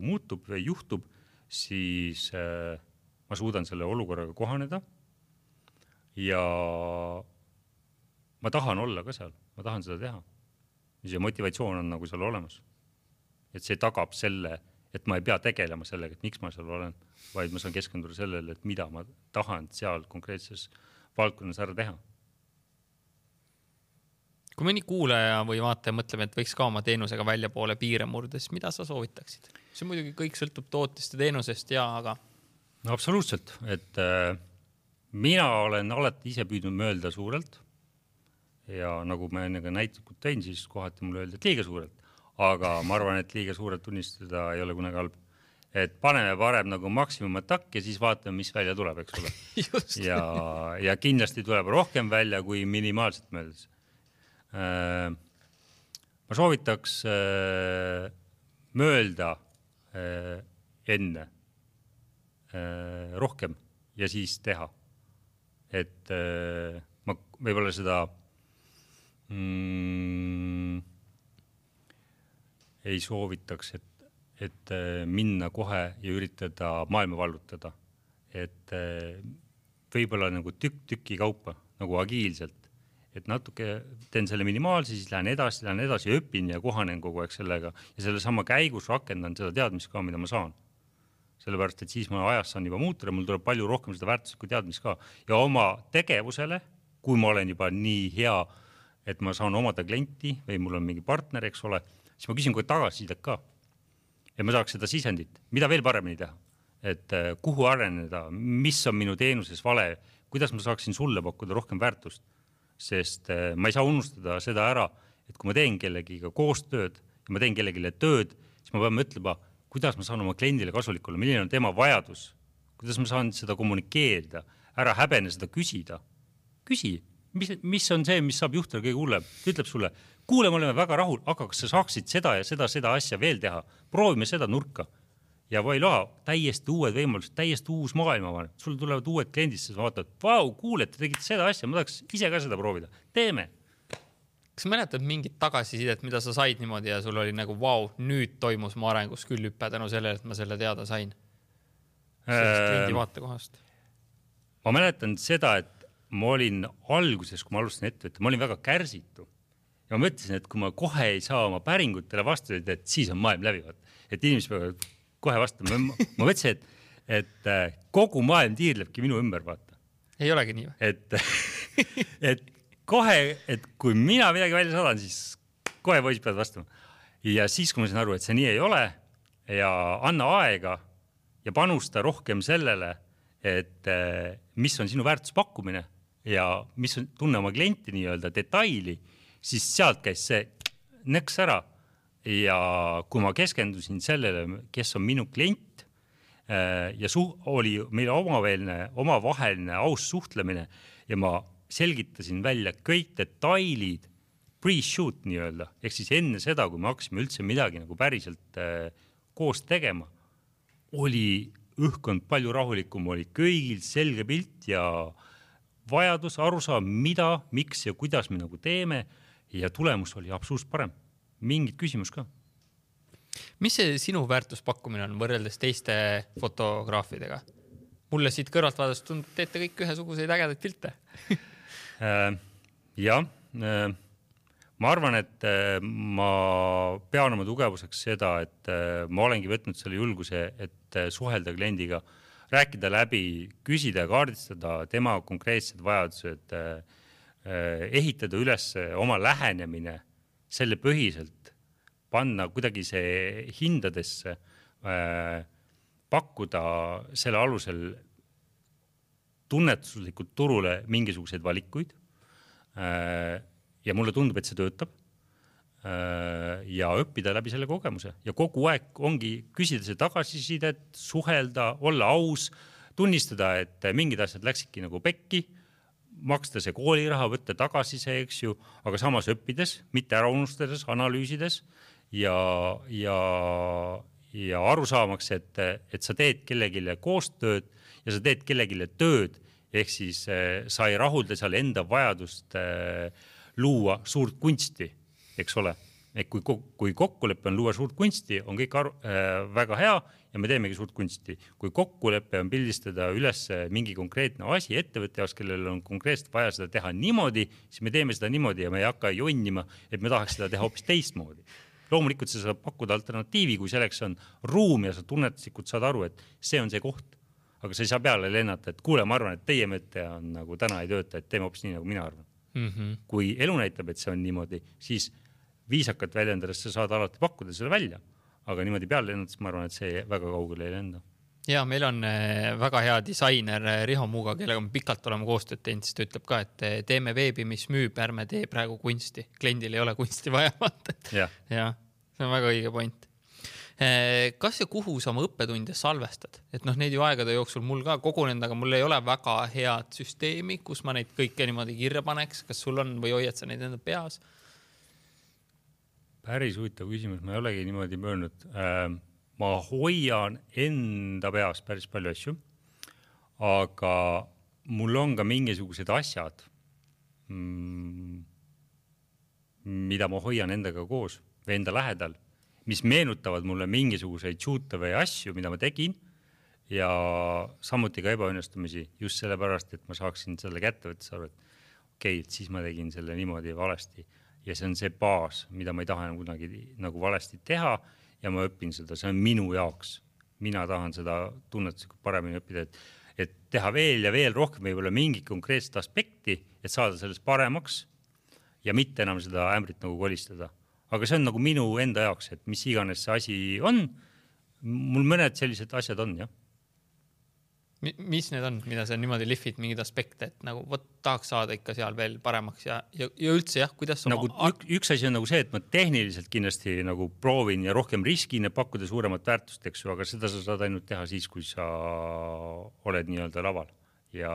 muutub või juhtub, siis ma suudan selle olukorraga kohaneda ja ma tahan olla ka seal, ma tahan seda teha. See motivatsioon on nagu seal olemas. Et see tagab selle, et ma ei pea tegelema sellega, et miks ma seal olen, vaid ma saan keskenduda sellele, et mida ma tahan seal konkreetses valdkonnas ära teha. Kui mõni kuulaja või vaataja mõtleb, et võiks ka oma teenusega välja poole piire murda, siis mida sa soovitaksid? See muidugi kõik sõltub tootest ja teenusest, aga... No absoluutselt, et mina olen alati ise püüdnud mõelda suurelt ja nagu ma enne ka näitlikult tõin, siis kohati mulle öeldi, et liiga suurelt, aga ma arvan, et liiga suurelt tunnistada ei ole kunagi halb. Et paneme parem nagu maksimumatakk ja siis vaatame, mis välja tuleb, eks ole. ja kindlasti tuleb rohkem välja kui minimaalselt mõeldes. Ma soovitaks mõelda enne rohkem ja siis teha. Et ma võib-olla seda ei soovitaks, et minna kohe ja üritada maailma vallutada. Et võib-olla nagu tüki kaupa, nagu agiilselt. Et natuke teen selle minimaalse, siis lähen edasi, õpin ja kohanen kogu aeg sellega. Ja selle sama käigus rakendan seda teadmist ka, mida ma saan. Sellepärast, et siis ma ajas saan juba muutuda, mul tuleb palju rohkem seda väärtuslikku teadmist ka. Ja oma tegevusele, kui ma olen juba nii hea, et ma saan omada klienti või mul on mingi partner, eks ole, siis ma küsin kogu tagasisidet ka. Ja ma saaks seda sisendit, mida veel paremini teha. Et kuhu areneda, mis on minu teenuses vale, kuidas ma saaksin sulle pakkuda rohkem väärtust. Sest ma ei saa unustada seda ära, et kui ma teen kellegiga koostööd ja ma teen kellegile tööd, siis ma pean mõtlema, kuidas ma saan oma kliendile kasulik olla, milline on tema vajadus, kuidas ma saan seda kommunikeerida, ära häbene seda küsida. Küsi, mis on see, mis saab juhtuda kõige hullem? Ta ütleb sulle, kuule, me oleme väga rahul, aga kas sa saaksid seda ja seda asja veel teha? Proovime seda nurka. Ja voila, täiesti uued võimalused, täiesti uus maailma. Sul tulevad uued kliendid, sa vaatad, vau, kuule, te tegite seda asja, ma tahaks ise ka seda proovida. Teeme. Kas mäletad mingit tagasisidet, mida sa said niimoodi ja sul oli nagu, vau, nüüd toimus mu arengus küll hüppe tänu sellele, et ma selle teada sain? Sellest kliendi vaatekohast. Ma mäletan seda, et ma olin alguses, kui ma alustasin ettevõtte, ma olin väga kärsitu. Ja ma mõtlesin, et kui ma kohe ei saa oma päringutele vastuseid, et siis on maailm läbivad. Et inimesed peavad kohe vastama. Ma mõtlesin, et kogu maailm tiirlebki minu ümber, vaata. Ei olegi nii või? Et kohe, et kui mina midagi välja saadan, siis kohe poisid peavad vastama. Ja siis, kui ma sain aru, et see nii ei ole ja anna aega ja panusta rohkem sellele, et mis on sinu väärtuspakkumine ja mis on tunne oma klienti nii-öelda detaili, siis sealt käis see nõks ära. Ja kui ma keskendusin sellele, kes on minu klient ja oli meil omavaheline aus suhtlemine ja ma selgitasin välja kõik detailid pre-shoot nii-öelda, ehk siis enne seda, kui me hakkasime üldse midagi nagu päriselt koos tegema, oli õhkond palju rahulikum, oli kõigil selge pilt ja vajadus aru saa, mida, miks ja kuidas me nagu teeme ja tulemus oli absoluutselt parem. Mingid küsimus ka. Mis see sinu väärtuspakkumine on võrreldes teiste fotograafidega? Mulle siit kõrvalt vaadast tundub, teete kõik ühesuguseid ägedaid pilte. Jah, ma arvan, et ma pean oma tugevuseks seda, et ma olengi võtnud selle julguse, et suhelda kliendiga, rääkida läbi, küsida ja kaardistada tema konkreetsed vajadused, ehitada üles oma lähenemine selle põhiselt, panna kuidagi see hindadesse, pakkuda selle alusel tunnetuslikult turule mingisuguseid valikuid ja mulle tundub, et see töötab ja õppida läbi selle kogemuse ja kogu aeg ongi küsida see tagasisidet, suhelda, olla aus, tunnistada, et mingid asjad läksidki nagu pekki, maksta see kooliraha, võtta tagasi see, eks ju, aga samas õppides, mitte ära unustades, analüüsides ja aru saamaks, et sa teed kellegile koostööd ja sa teed kellegile tööd, ehk siis sa ei rahulda seal enda vajadust luua suurt kunsti, eks ole. Et kui kokkuleppe on luua suurt kunsti, on kõik väga hea ja me teemegi suurt kunsti. Kui kokkuleppe on pildistada üles mingi konkreetne asi ettevõtte jaoks, kellel on konkreetselt vaja seda teha niimoodi, siis me teeme seda niimoodi ja me ei hakka jonnima, et me tahaks seda teha hoopis teistmoodi. Loomulikult sa saab pakkuda alternatiivi, kui selleks on ruum ja sa tunnetuslikult saad aru, et see on see koht. Aga sa ei saa peale lennata, et kuule, ma arvan, et teie mõte on nagu täna ei tööta, et teeme hoopis nii, nagu mina arvan. Kui elu näitab, et see on niimoodi, siis viisakalt väljendades sa saad alati pakkuda selle välja, aga niimoodi peale lennades ma arvan, et see väga kaugele ei lenda. Ja meil on väga hea disainer Riho Muuga, kellega me pikalt oleme koostööd teinud, siis ta ütleb ka, et teeme veebi, mis müüb, ärme tee praegu kunsti. Kliendil ei ole kunsti vaja vaata. Ja, see on väga õige point. Kas ja kuhu sa oma õppetunde salvestad? Et neid ju aegade jooksul mul ka kogunenud, aga mul ei ole väga head süsteemi, kus ma neid kõike niimoodi kirja paneks. Kas sul on või hoiad sa neid enda peas? Päris huvitav küsimus, ma ei olegi niimoodi möönud. Ma hoian enda peas päris palju asju, aga mul on ka mingisugused asjad, mida ma hoian endaga koos või enda lähedal, mis meenutavad mulle mingisuguseid shoot'e või asju, mida ma tegin ja samuti ka ebaõnnestumisi just sellepärast, et ma saaksin selle kätte võttes aru, et okei, et siis ma tegin selle niimoodi valesti ja see on see baas, mida ma ei taha kunagi nagu valesti teha ja ma õpin seda, see on minu jaoks. Mina tahan seda tunnetuslikult paremini õppida, et teha veel ja veel rohkem võib-olla mingi konkreetset aspekti, et saada sellest paremaks ja mitte enam seda ämbrit nagu kolistada. Aga see on nagu minu enda jaoks, et mis iganes see asi on, mul mõned sellised asjad on, jah. Mis need on, mida sa niimoodi lihvid mingid aspekte, et nagu tahaks saada ikka seal veel paremaks ja üldse jah, kuidas nagu üks asi on nagu see, et ma tehniliselt kindlasti nagu proovin ja rohkem riskin ja pakkuda suuremat väärtust, eks ju, aga seda sa saad ainult teha siis, kui sa oled nii-öelda laval ja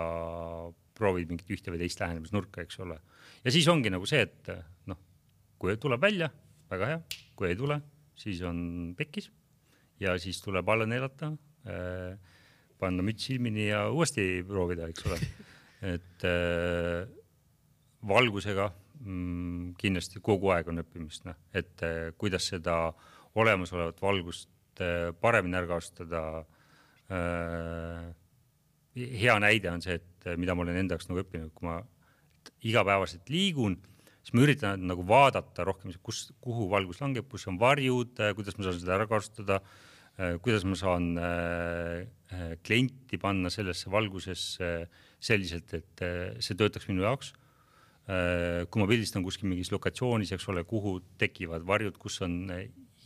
proovid mingit ühte või teist lähenemisnurka, eks ole. Ja siis ongi nagu see, et kui tuleb välja, väga hea, kui ei tule, siis on pekkis ja siis tuleb alla neelata, panna müts silmini ja uuesti proovida, eks ole. Et valgusega kindlasti kogu aeg on õppimist, et kuidas seda olemasolevat valgust paremini ära kasutada. Hea näide on see, et mida ma olen enda jaoks nagu õppinud, kui ma igapäevaselt liigun, siis ma üritan nagu vaadata rohkem, kuhu valgus langeb, kus on varjud, kuidas ma saan seda ära kasutada, kuidas ma saan klienti panna sellesse valgusesse selliselt, et see töötaks minu jaoks. Kui ma pildistan kuskil mingis lokatsioonis, eks ole, kuhu tekivad varjud, kus on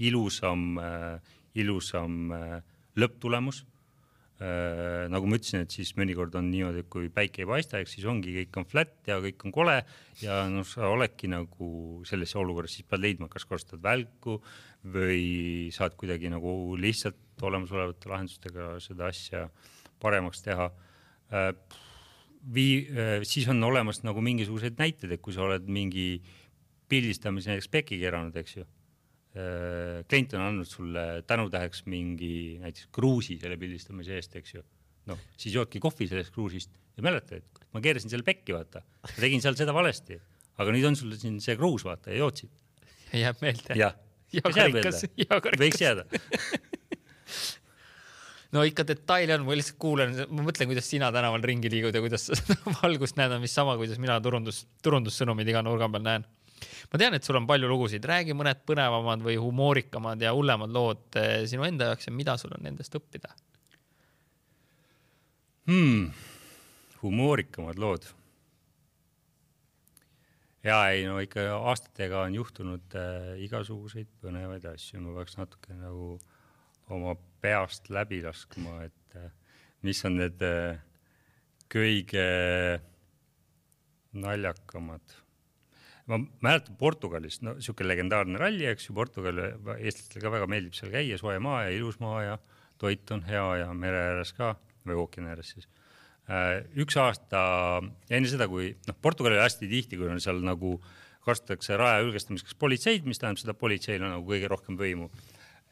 ilusam lõpptulemus. Nagu ma ütlesin, et siis mõnikord on niimoodi, et kui päike ei paista, siis ongi, kõik on flat ja kõik on kole ja sa oledki nagu sellesse olukorras, siis pead leidma, kas kasutad välku või saad kuidagi nagu lihtsalt olemasolevate lahendustega seda asja paremaks teha. Siis on olemas nagu mingisugused näited, et kui sa oled mingi pildistamise näiteks peki keranud, eks ju. Klient on andnud sulle tänutäheks mingi näiteks kruusi selle pildistamise eest, eks ju. Siis joodki kohvi sellest kruusist ja mäleta, et ma keerasin selle pekki, vaata. Ma tegin seal seda valesti, aga nüüd on sulle siin see kruus, vaata, ja joodsid. Jääb meelde. Jah, võiks jääda. No ikka detaili on, ma lihtsalt kuulen, ma mõtlen, kuidas sina tänaval ringi liigud ja kuidas valgust näed on mis sama, kuidas mina turundussõnumid iga nurga peal näen. Ma tean, et sul on palju lugusid, räägi mõned põnevamad või humoorikamad ja hullemad lood sinu enda jaoks ja mida sul on nendest õppida? Humoorikamad lood. Ja ikka aastatega on juhtunud igasuguseid põnevaid asju. Ma peaks natuke nagu oma peast läbi laskma, et mis on need kõige naljakamad. Ma mäletan Portugalist, siuke legendaarne ralli, eks ju, Portugali eestlastele ka väga meeldib seal käia, soe maa ja ilus maa ja toit on hea ja mere ääres ka, või ookeani ääres siis. Üks aasta enne seda, kui Portugali hästi tihti, kui on seal nagu kasutatakse raja ülgestamiseks politseid, mis tähendab seda politseil on nagu kõige rohkem võimu.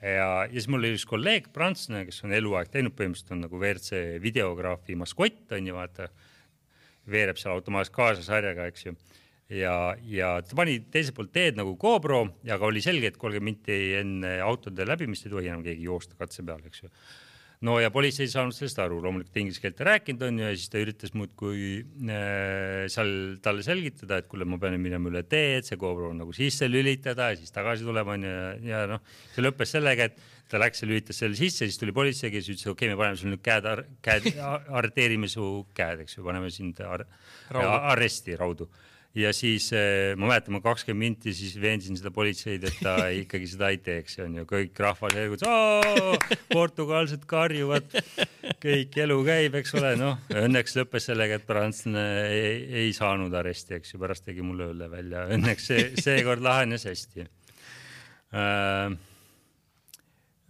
Ja siis mul oli üks kolleeg, prantslane, kes on eluaeg teinud, põhimõtteliselt on nagu WRC videograafi maskott, on ju vaata, veereb seal automaatselt kaasa sarjaga, eks ju. Ja ta pani teiselt poolt teed nagu GoPro ja ka oli selge, et 30 minti enne autode läbimist ei tohi enam keegi joosta katse peal, eks ju. No ja politsei ei saanud sellest aru, loomulikult inglise keelt rääkinud on ju, ja siis ta üritas muudkui seal talle selgitada, et kuule, ma pean minema üle teed, see GoPro on nagu sisse lülitada ja siis tagasi tulema ja see lõppes sellega, et ta läks ja lülitas selle sisse, siis tuli politsei, kes ütles, okei, me paneme sul nüüd käed arreteerime su käed, eks ju, paneme sind arresti raudu. ja siis ma mäletan, ma 20 minti siis veensin seda politseid, et ta ikkagi seda ei teeks, on ju, kõik rahvas portugalsed karjuvad, kõik elu käib, eks ole, noh, õnneks lõppes sellega, et prantslane ei saanud aresti, eks ju, pärast tegi mulle õlle välja, õnneks seekord lahenes hästi.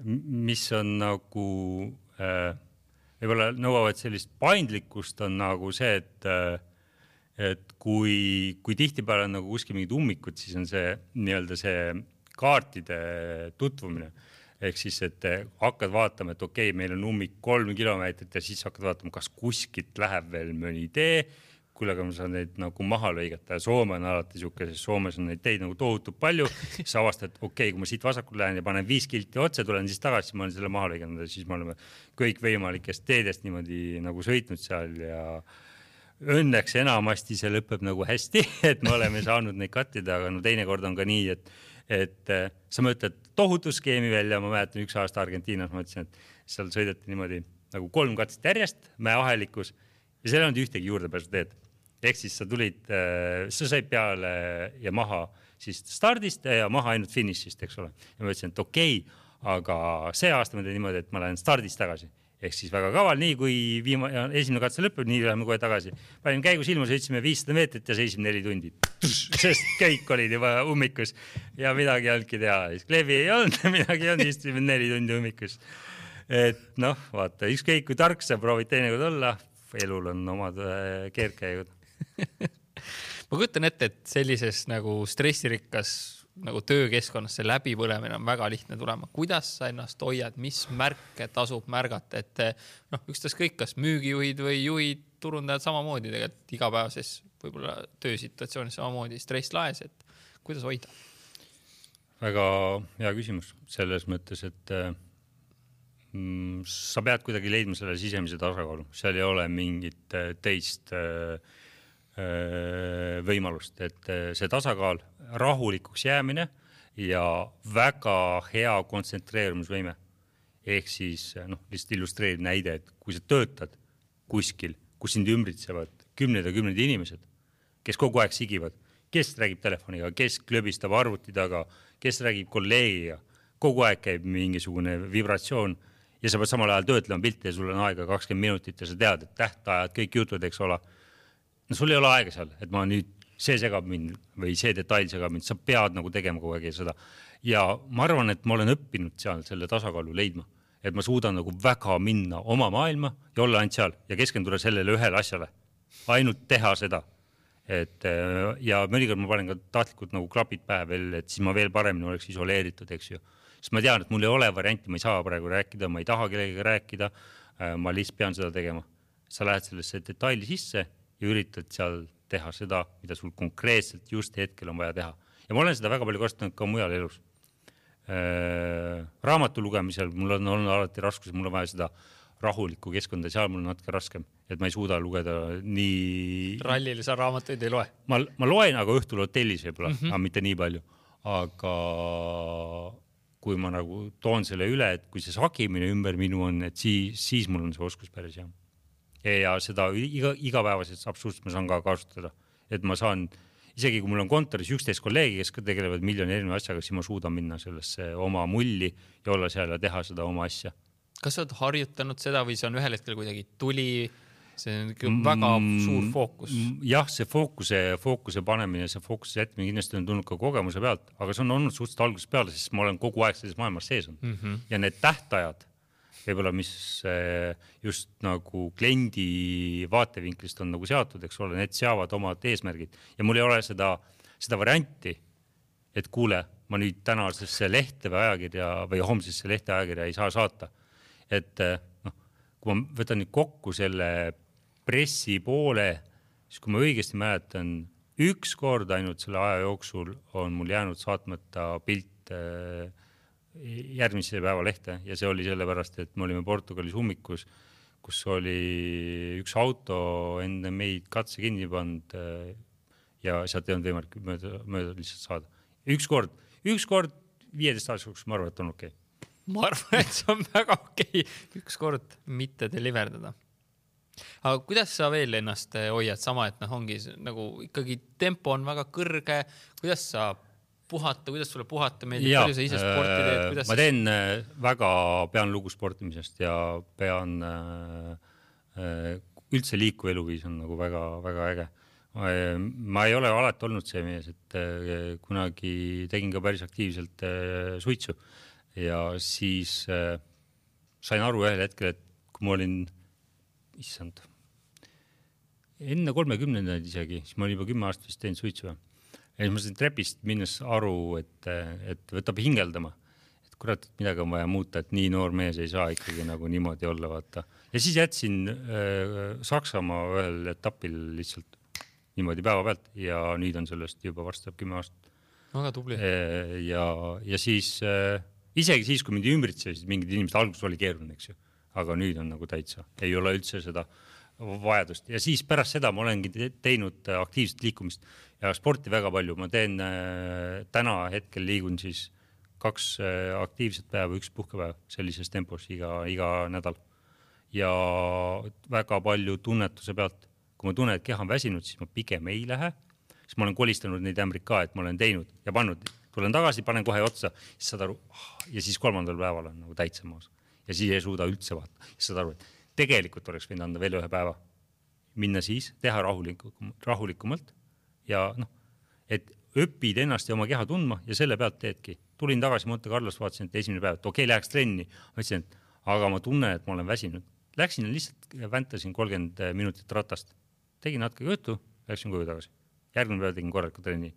Mis on nagu võib-olla nõuavad sellist paindlikkust on nagu see, et kui tihtipeale on nagu kuskil mingid ummikud, siis on see nii-öelda see kaartide tutvumine. Ehk siis, et hakkad vaatama, et okei, meil on ummik 3 kilomeetrit ja siis hakkad vaatama, kas kuskilt läheb veel mõni tee, kullega ma saan neid nagu maha lõigata. Soome on alati siuke, sest Soomes on neid teid nagu tohutult palju. Siis avastad, et okei, kui ma siit vasakul lähen ja panen 5 kilti otse, tulen siis tagasi, siis ma olen selle maha lõiganud ja siis me oleme kõik võimalikest teedest niimoodi nagu sõitnud seal ja õnneks enamasti see lõpeb nagu hästi, et me oleme saanud neid kattida, aga no teinekord on ka nii, et sa mõtled tohutu skeemi välja, ma mäletan üks aasta Argentiinas, ma mõtlesin, et seal sõideti niimoodi nagu 3 katset järjest mäeahelikus ja seal ei olnud ühtegi juurdepääsu teed. Ehk siis sa tulid, sa said peale ja maha siis stardist ja maha ainult finišist, eks ole. Ja ma ütlesin, et okei, aga see aasta ma teen niimoodi, et ma lähen stardist tagasi. Ehk siis väga kaval, nii kui esimene katse lõpeb, nii läheme kohe tagasi. Panin käigus ilma, sõitsime 500 meetrit ja seisime 4 tundi. Sest kõik olid juba ummikus ja midagi ei olnudki teha. Kleebi ei olnud, midagi ei olnud, istusime 4 tundi ummikus. Et noh, vaata, ükskõik kui tark sa proovid teinekord olla, elul on omad keerkäigud. Ma kujutan ette, et sellises nagu stressirikkas nagu töökeskkonnas see läbipõlemine on väga lihtne tulema. Kuidas sa ennast hoiad, mis märke tasub märgata, et ükstas kõik, kas müügijuhid või juhid, turundajad samamoodi tegelikult igapäevases võib-olla töösituatsioonis samamoodi stress laes, et kuidas hoida? Väga hea küsimus selles mõttes, et sa pead kuidagi leidma selle sisemise tasakaalu. Seal ei ole mingit teist võimalust, et see tasakaal, rahulikuks jäämine ja väga hea kontsentreerumisvõime. Ehk siis, lihtsalt illustreerib näide, et kui sa töötad kuskil, kus sind ümbritsevad 10 inimesed, kes kogu aeg sigivad, kes räägib telefoniga, kes klöbistab arvuti taga, kes räägib kolleegiga, kogu aeg käib mingisugune vibratsioon ja sa pead samal ajal töötlema pilti ja sul on aega 20 minutit ja sa tead, et tähtajad, kõik jutud, eks ole. No sul ei ole aega seal, et ma nüüd see segab mind või see detail segab mind, sa pead nagu tegema kogu aeg seda. Ja ma arvan, et ma olen õppinud seal selle tasakaalu leidma, et ma suudan nagu väga minna oma maailma ja olla ainult seal ja keskenduda sellele ühele asjale. Ainult teha seda. Ja mõnikord ma panen ka tahtlikult nagu klapid pähe veel, et siis ma veel paremini oleks isoleeritud, eks ju. Sest ma tean, et mul ei ole varianti, ma ei saa praegu rääkida, ma ei taha kellegagi rääkida, ma lihtsalt pean seda tegema. Sa lähed sellesse detaili sisse ja üritad seal teha seda, mida sul konkreetselt just hetkel on vaja teha. Ja ma olen seda väga palju kasutanud ka mujal elus. Raamatu lugemisel mul on olnud alati raskus, mul on vaja seda rahulikku keskkonda, seal mul on natuke raskem, et ma ei suuda lugeda nii... Rallile sa raamatuid ei loe? Ma loen aga õhtul hotellis võib-olla, aga mitte nii palju. Aga kui ma nagu toon selle üle, et kui see sakimine ümber minu on, et siis mul on see oskus päris hea. Ja seda igapäevasest absoluutselt ma saan ka kasutada. Et ma saan, isegi kui mul on kontoris 11 kolleegi, kes tegelevad miljoni erineva asjaga, siis ma suudan minna sellesse oma mulli ja olla seal ja teha seda oma asja. Kas sa oled harjutanud seda või see on ühel hetkel kuidagi tuli, see on väga suur fookus? Jah, see fookuse panemine, see fookuse jätmine kindlasti on tulnud ka kogemuse pealt, aga see on olnud suhteliselt algusest peale, sest ma olen kogu aeg selles maailmas sees on. Ja need tähtajad, võib-olla mis just nagu kliendi vaatevinklist on nagu seatud, eks ole, need seavad omad eesmärgid. Ja mul ei ole seda varianti, et kuule, ma nüüd tänasesse lehte või ajakirja või homsesse lehte ajakirja ei saa saata. Et kui ma võtan nüüd kokku selle pressi poole, siis kui ma õigesti mäletan, üks kord ainult selle aja jooksul on mul jäänud saatmata pilt järgmise päeva lehte ja see oli sellepärast, et me olime Portugalis ummikus, kus oli üks auto enne meid katse kinni pannud ja sealt ei olnud võimalik mööda lihtsalt saada. Üks kord 15 aastaks, ma arvan, et on okei. Ma arvan, et see on väga okei. Üks kord mitte deliverdada. Aga kuidas sa veel ennast hoiad sama, et ongi nagu ikkagi tempo on väga kõrge, kuidas sa puhata, kuidas sulle puhata meeldib, palju sa ise sporti teed? Ma teen pean lugu sportimisest ja pean üldse liikuv eluviis on nagu väga, väga äge. Ma ei ole alati olnud see mees, et kunagi tegin ka päris aktiivselt suitsu ja siis sain aru ühel hetkel, et kui ma olin enne 30 isegi, siis ma olin juba 10 aastat vist teinud suitsu. Ja siis ma sain trepist minnes aru, et võtab hingeldama. Et kurat, et midagi on vaja muuta, et nii noor mees ei saa ikkagi nagu niimoodi olla, vaata. Ja siis jätsin Saksamaa ühel etapil lihtsalt niimoodi päeva pealt ja nüüd on sellest juba varsti 10 aastat. Väga tubli. Ja siis, isegi siis, kui mind ümbritsesid mingid inimesed, alguses oli keeruline, eks ju. Aga nüüd on nagu täitsa, ei ole üldse seda vajadust. Ja siis pärast seda ma olengi teinud aktiivset liikumist ja sporti väga palju. Ma teen täna hetkel liigun siis 2 aktiivset päeva, 1 puhkepäev sellises tempos iga nädal. Ja väga palju tunnetuse pealt. Kui ma tunnen, et keha on väsinud, siis ma pigem ei lähe. Siis ma olen kolistanud neid ämbrid ka, et ma olen teinud ja pannud. Tulen tagasi, panen kohe otsa, siis saad aru, ja siis 3. päeval on nagu täitsa maas. Ja siis ei suuda üldse vaata. Siis saad aru, et tegelikult oleks võinud anda veel 1 päeva. Minna siis, teha rahulikumalt ja et õpid ennast ja oma keha tundma ja selle pealt teedki. Tulin tagasi Monte Carlos, vaatasin, et esimene päev, et okei, läheks trenni. Ma ütlesin, et aga ma tunnen, et ma olen väsinud. Läksin ja lihtsalt väntasin 30 minutit ratast. Tegin natuke juttu, läksin koju tagasi. Järgmine päev tegin korralikult trenni.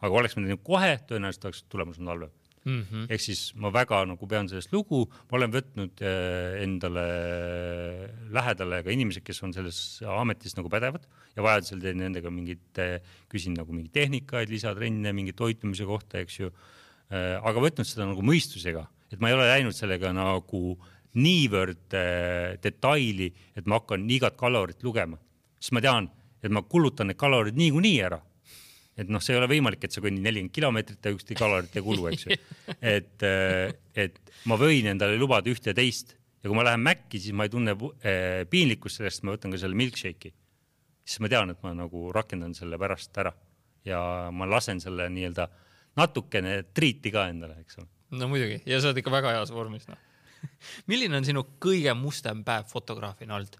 Aga oleks ma teinud kohe, tõenäoliselt oleks tulemus on halvem. Ehk siis ma väga nagu pean sellest lugu, ma olen võtnud endale lähedale ka inimesed, kes on selles ametis nagu pädevad ja vajadusel teen nendega küsin nagu mingi tehnikaid, lisatrenne, mingi toitumise kohta, eks ju. Aga võtnud seda nagu mõistusega, et ma ei ole läinud sellega nagu niivõrd detaili, et ma hakkan igat kalorit lugema. Siis ma tean, et ma kulutan need kalorid niikuinii ära. Et see ei ole võimalik, et sa kõnni 40 kilomeetrit ja ükski kalorit ei kulu, eks ju. Et ma võin endale lubada ühte ja teist. Ja kui ma lähen Mäkki, siis ma ei tunne piinlikkust sellest, ma võtan ka selle milkshake'i. Siis ma tean, et ma nagu rakendan selle pärast ära. Ja ma lasen selle nii-öelda natukene triiti ka endale, eks ole. No muidugi, ja sa oled ikka väga heas vormis. Milline on sinu kõige mustem päev fotograafina olnud?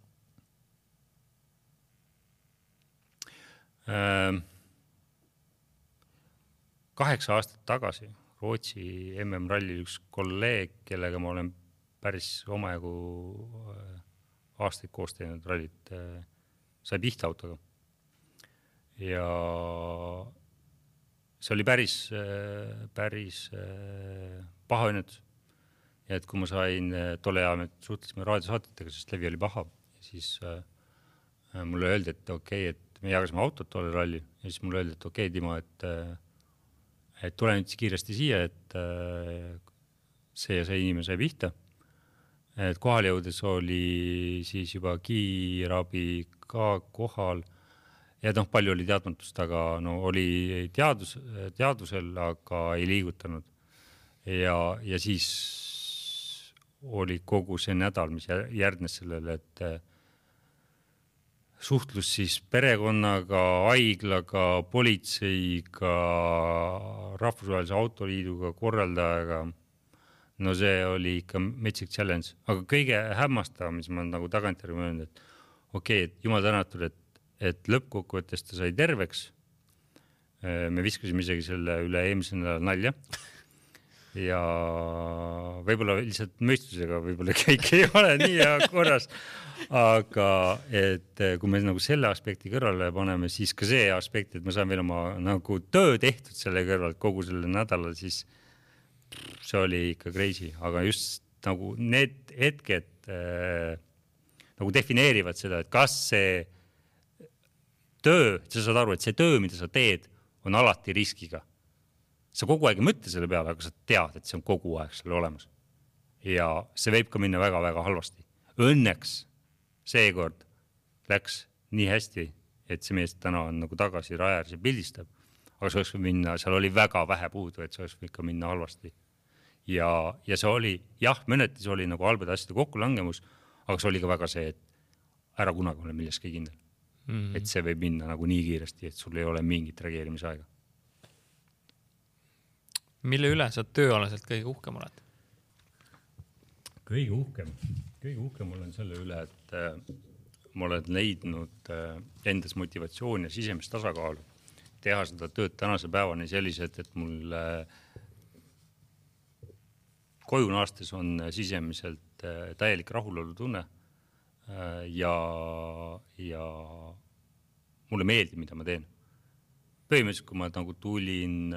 8 aastat tagasi Rootsi MM-rallil üks kolleeg, kellega ma olen päris omajagu aastaid koos teinud rallit, sai pihta autoga. Ja see oli päris paha õnnetus. Ja et kui ma sain tolle ajal, me suhtlesime raadiosaatitega, sest levi oli paha, siis mulle öeldi, et okei, et me jagasime autot tolle ralli ja siis mulle öeldi, et okei, Timo, et tule nüüd kiiresti siia, et see ja see inimene sai pihta. Et kohal jõudes oli siis juba kiirabi ka kohal ja palju oli teadmatust, aga oli teadusel, aga ei liigutanud. Ja siis oli kogu see nädal, mis järgnes sellele, et suhtlus siis perekonnaga, haiglaga, politseiga, rahvusvahelise autoliiduga, korraldajaga. No see oli ikka metsik challenge. Aga kõige hämmastav, mis ma nagu tagantjärgi mõelnud, et okei, et jumal tänatud, et lõppkokkuvõttes ta sai terveks. Me viskasime isegi selle üle eelmisel nädalal nalja. Ja võib-olla lihtsalt mõistusega võib-olla kõik ei ole nii ja korras. Aga et kui me nagu selle aspekti kõrvale paneme, siis ka see aspekt, et ma saan veel oma nagu töö tehtud selle kõrval kogu selle nädala, siis see oli ikka crazy. Aga just nagu need hetked nagu defineerivad seda, et kas see töö, sa saad aru, et see töö, mida sa teed, on alati riskiga. Sa kogu aeg ei mõtle selle peale, aga sa tead, et see on kogu aeg selle olemas. Ja see võib ka minna väga-väga halvasti. Õnneks seekord läks nii hästi, et see mees täna on nagu tagasi rajääris ja pildistab. Aga see oleks minna, seal oli väga vähe puudu, et see oleks võinud ka minna halvasti. Ja see oli, jah, mõnetis oli nagu halbade asjade kokkulangemus, aga see oli ka väga see, et ära kunagi ole milleski kindel. Et see võib minna nagu nii kiiresti, et sul ei ole mingit reageerimisaega. Mille üle sa tööalaselt kõige uhkem oled? Kõige uhkem olen selle üle, et ma olen leidnud endas motivatsiooni ja sisemist tasakaalu teha seda tööd tänase päevani sellised, et mul koju naastes on sisemiselt täielik rahulolu tunne ja mulle meeldib, mida ma teen. Põhimõtteliselt, kui ma nagu tulin,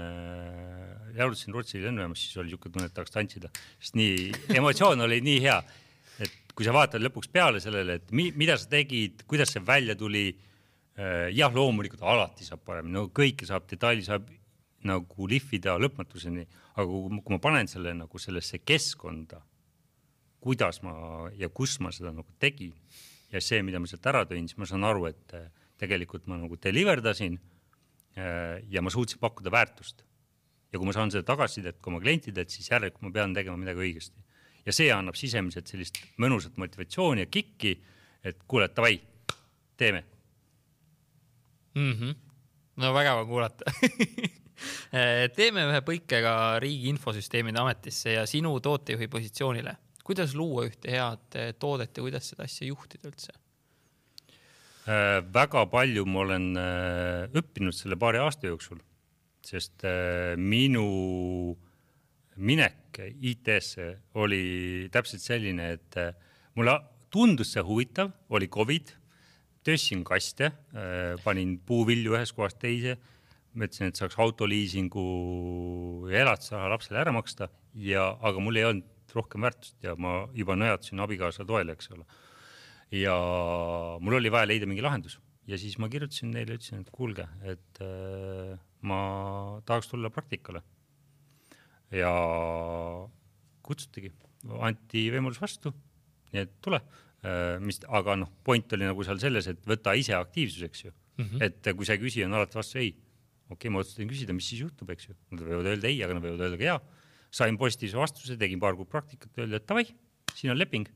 jaudutasin Rootsi lennujaamas, siis oli niisugune tunne, et tahaks tantsida. Sest emotsioon oli nii hea, et kui sa vaatad lõpuks peale sellele, et mida sa tegid, kuidas see välja tuli, jah, loomulikult alati saab parem, no kõike saab, detaili saab nagu lihvida lõpmatuseni, aga kui ma panen selle nagu sellesse keskkonda, kuidas ma ja kus ma seda nagu tegin ja see, mida ma sealt ära tõin, siis ma saan aru, et tegelikult ma nagu deliverdasin ja ma suutsin pakkuda väärtust. Ja kui ma saan seda tagasisidet kui oma klientidelt, siis järelikult ma pean tegema midagi õigesti. Ja see annab sisemiselt sellist mõnusat motivatsiooni ja kikki, et kuule, davai, teeme. No väga kuulata. Teeme ühe põikega Riigi Infosüsteemide Ametisse ja sinu tootejuhi positsioonile. Kuidas luua ühte head toodet ja kuidas seda asja juhtida üldse? Väga palju ma olen õppinud selle paari aasta jooksul, sest minu minek IT-sse oli täpselt selline, et mulle tundus see huvitav, oli COVID, töössin kaste, panin puuvilju ühes kohast teise, mõtlesin, et saaks autoliisingu ja elatusraha lapsele ära maksta, aga mul ei olnud rohkem väärtust ja ma juba nõjatasin abikaasa toele, eks ole. Ja mul oli vaja leida mingi lahendus ja siis ma kirjutasin neile ja ütlesin, et kuulge, et ma tahaks tulla praktikale ja kutsutigi, anti võimalus vastu, nii et tule, aga point oli nagu seal selles, et võta ise aktiivsuseks ju, et kui see küsija on alati vastu ei, okei, ma otsustasin küsida, mis siis juhtub, eks ju, nad võivad öelda ei, aga nad võivad öelda ka jaa, sain positiivse vastuse, tegin paar kuud praktikat, öeldi, et davai, siin on leping.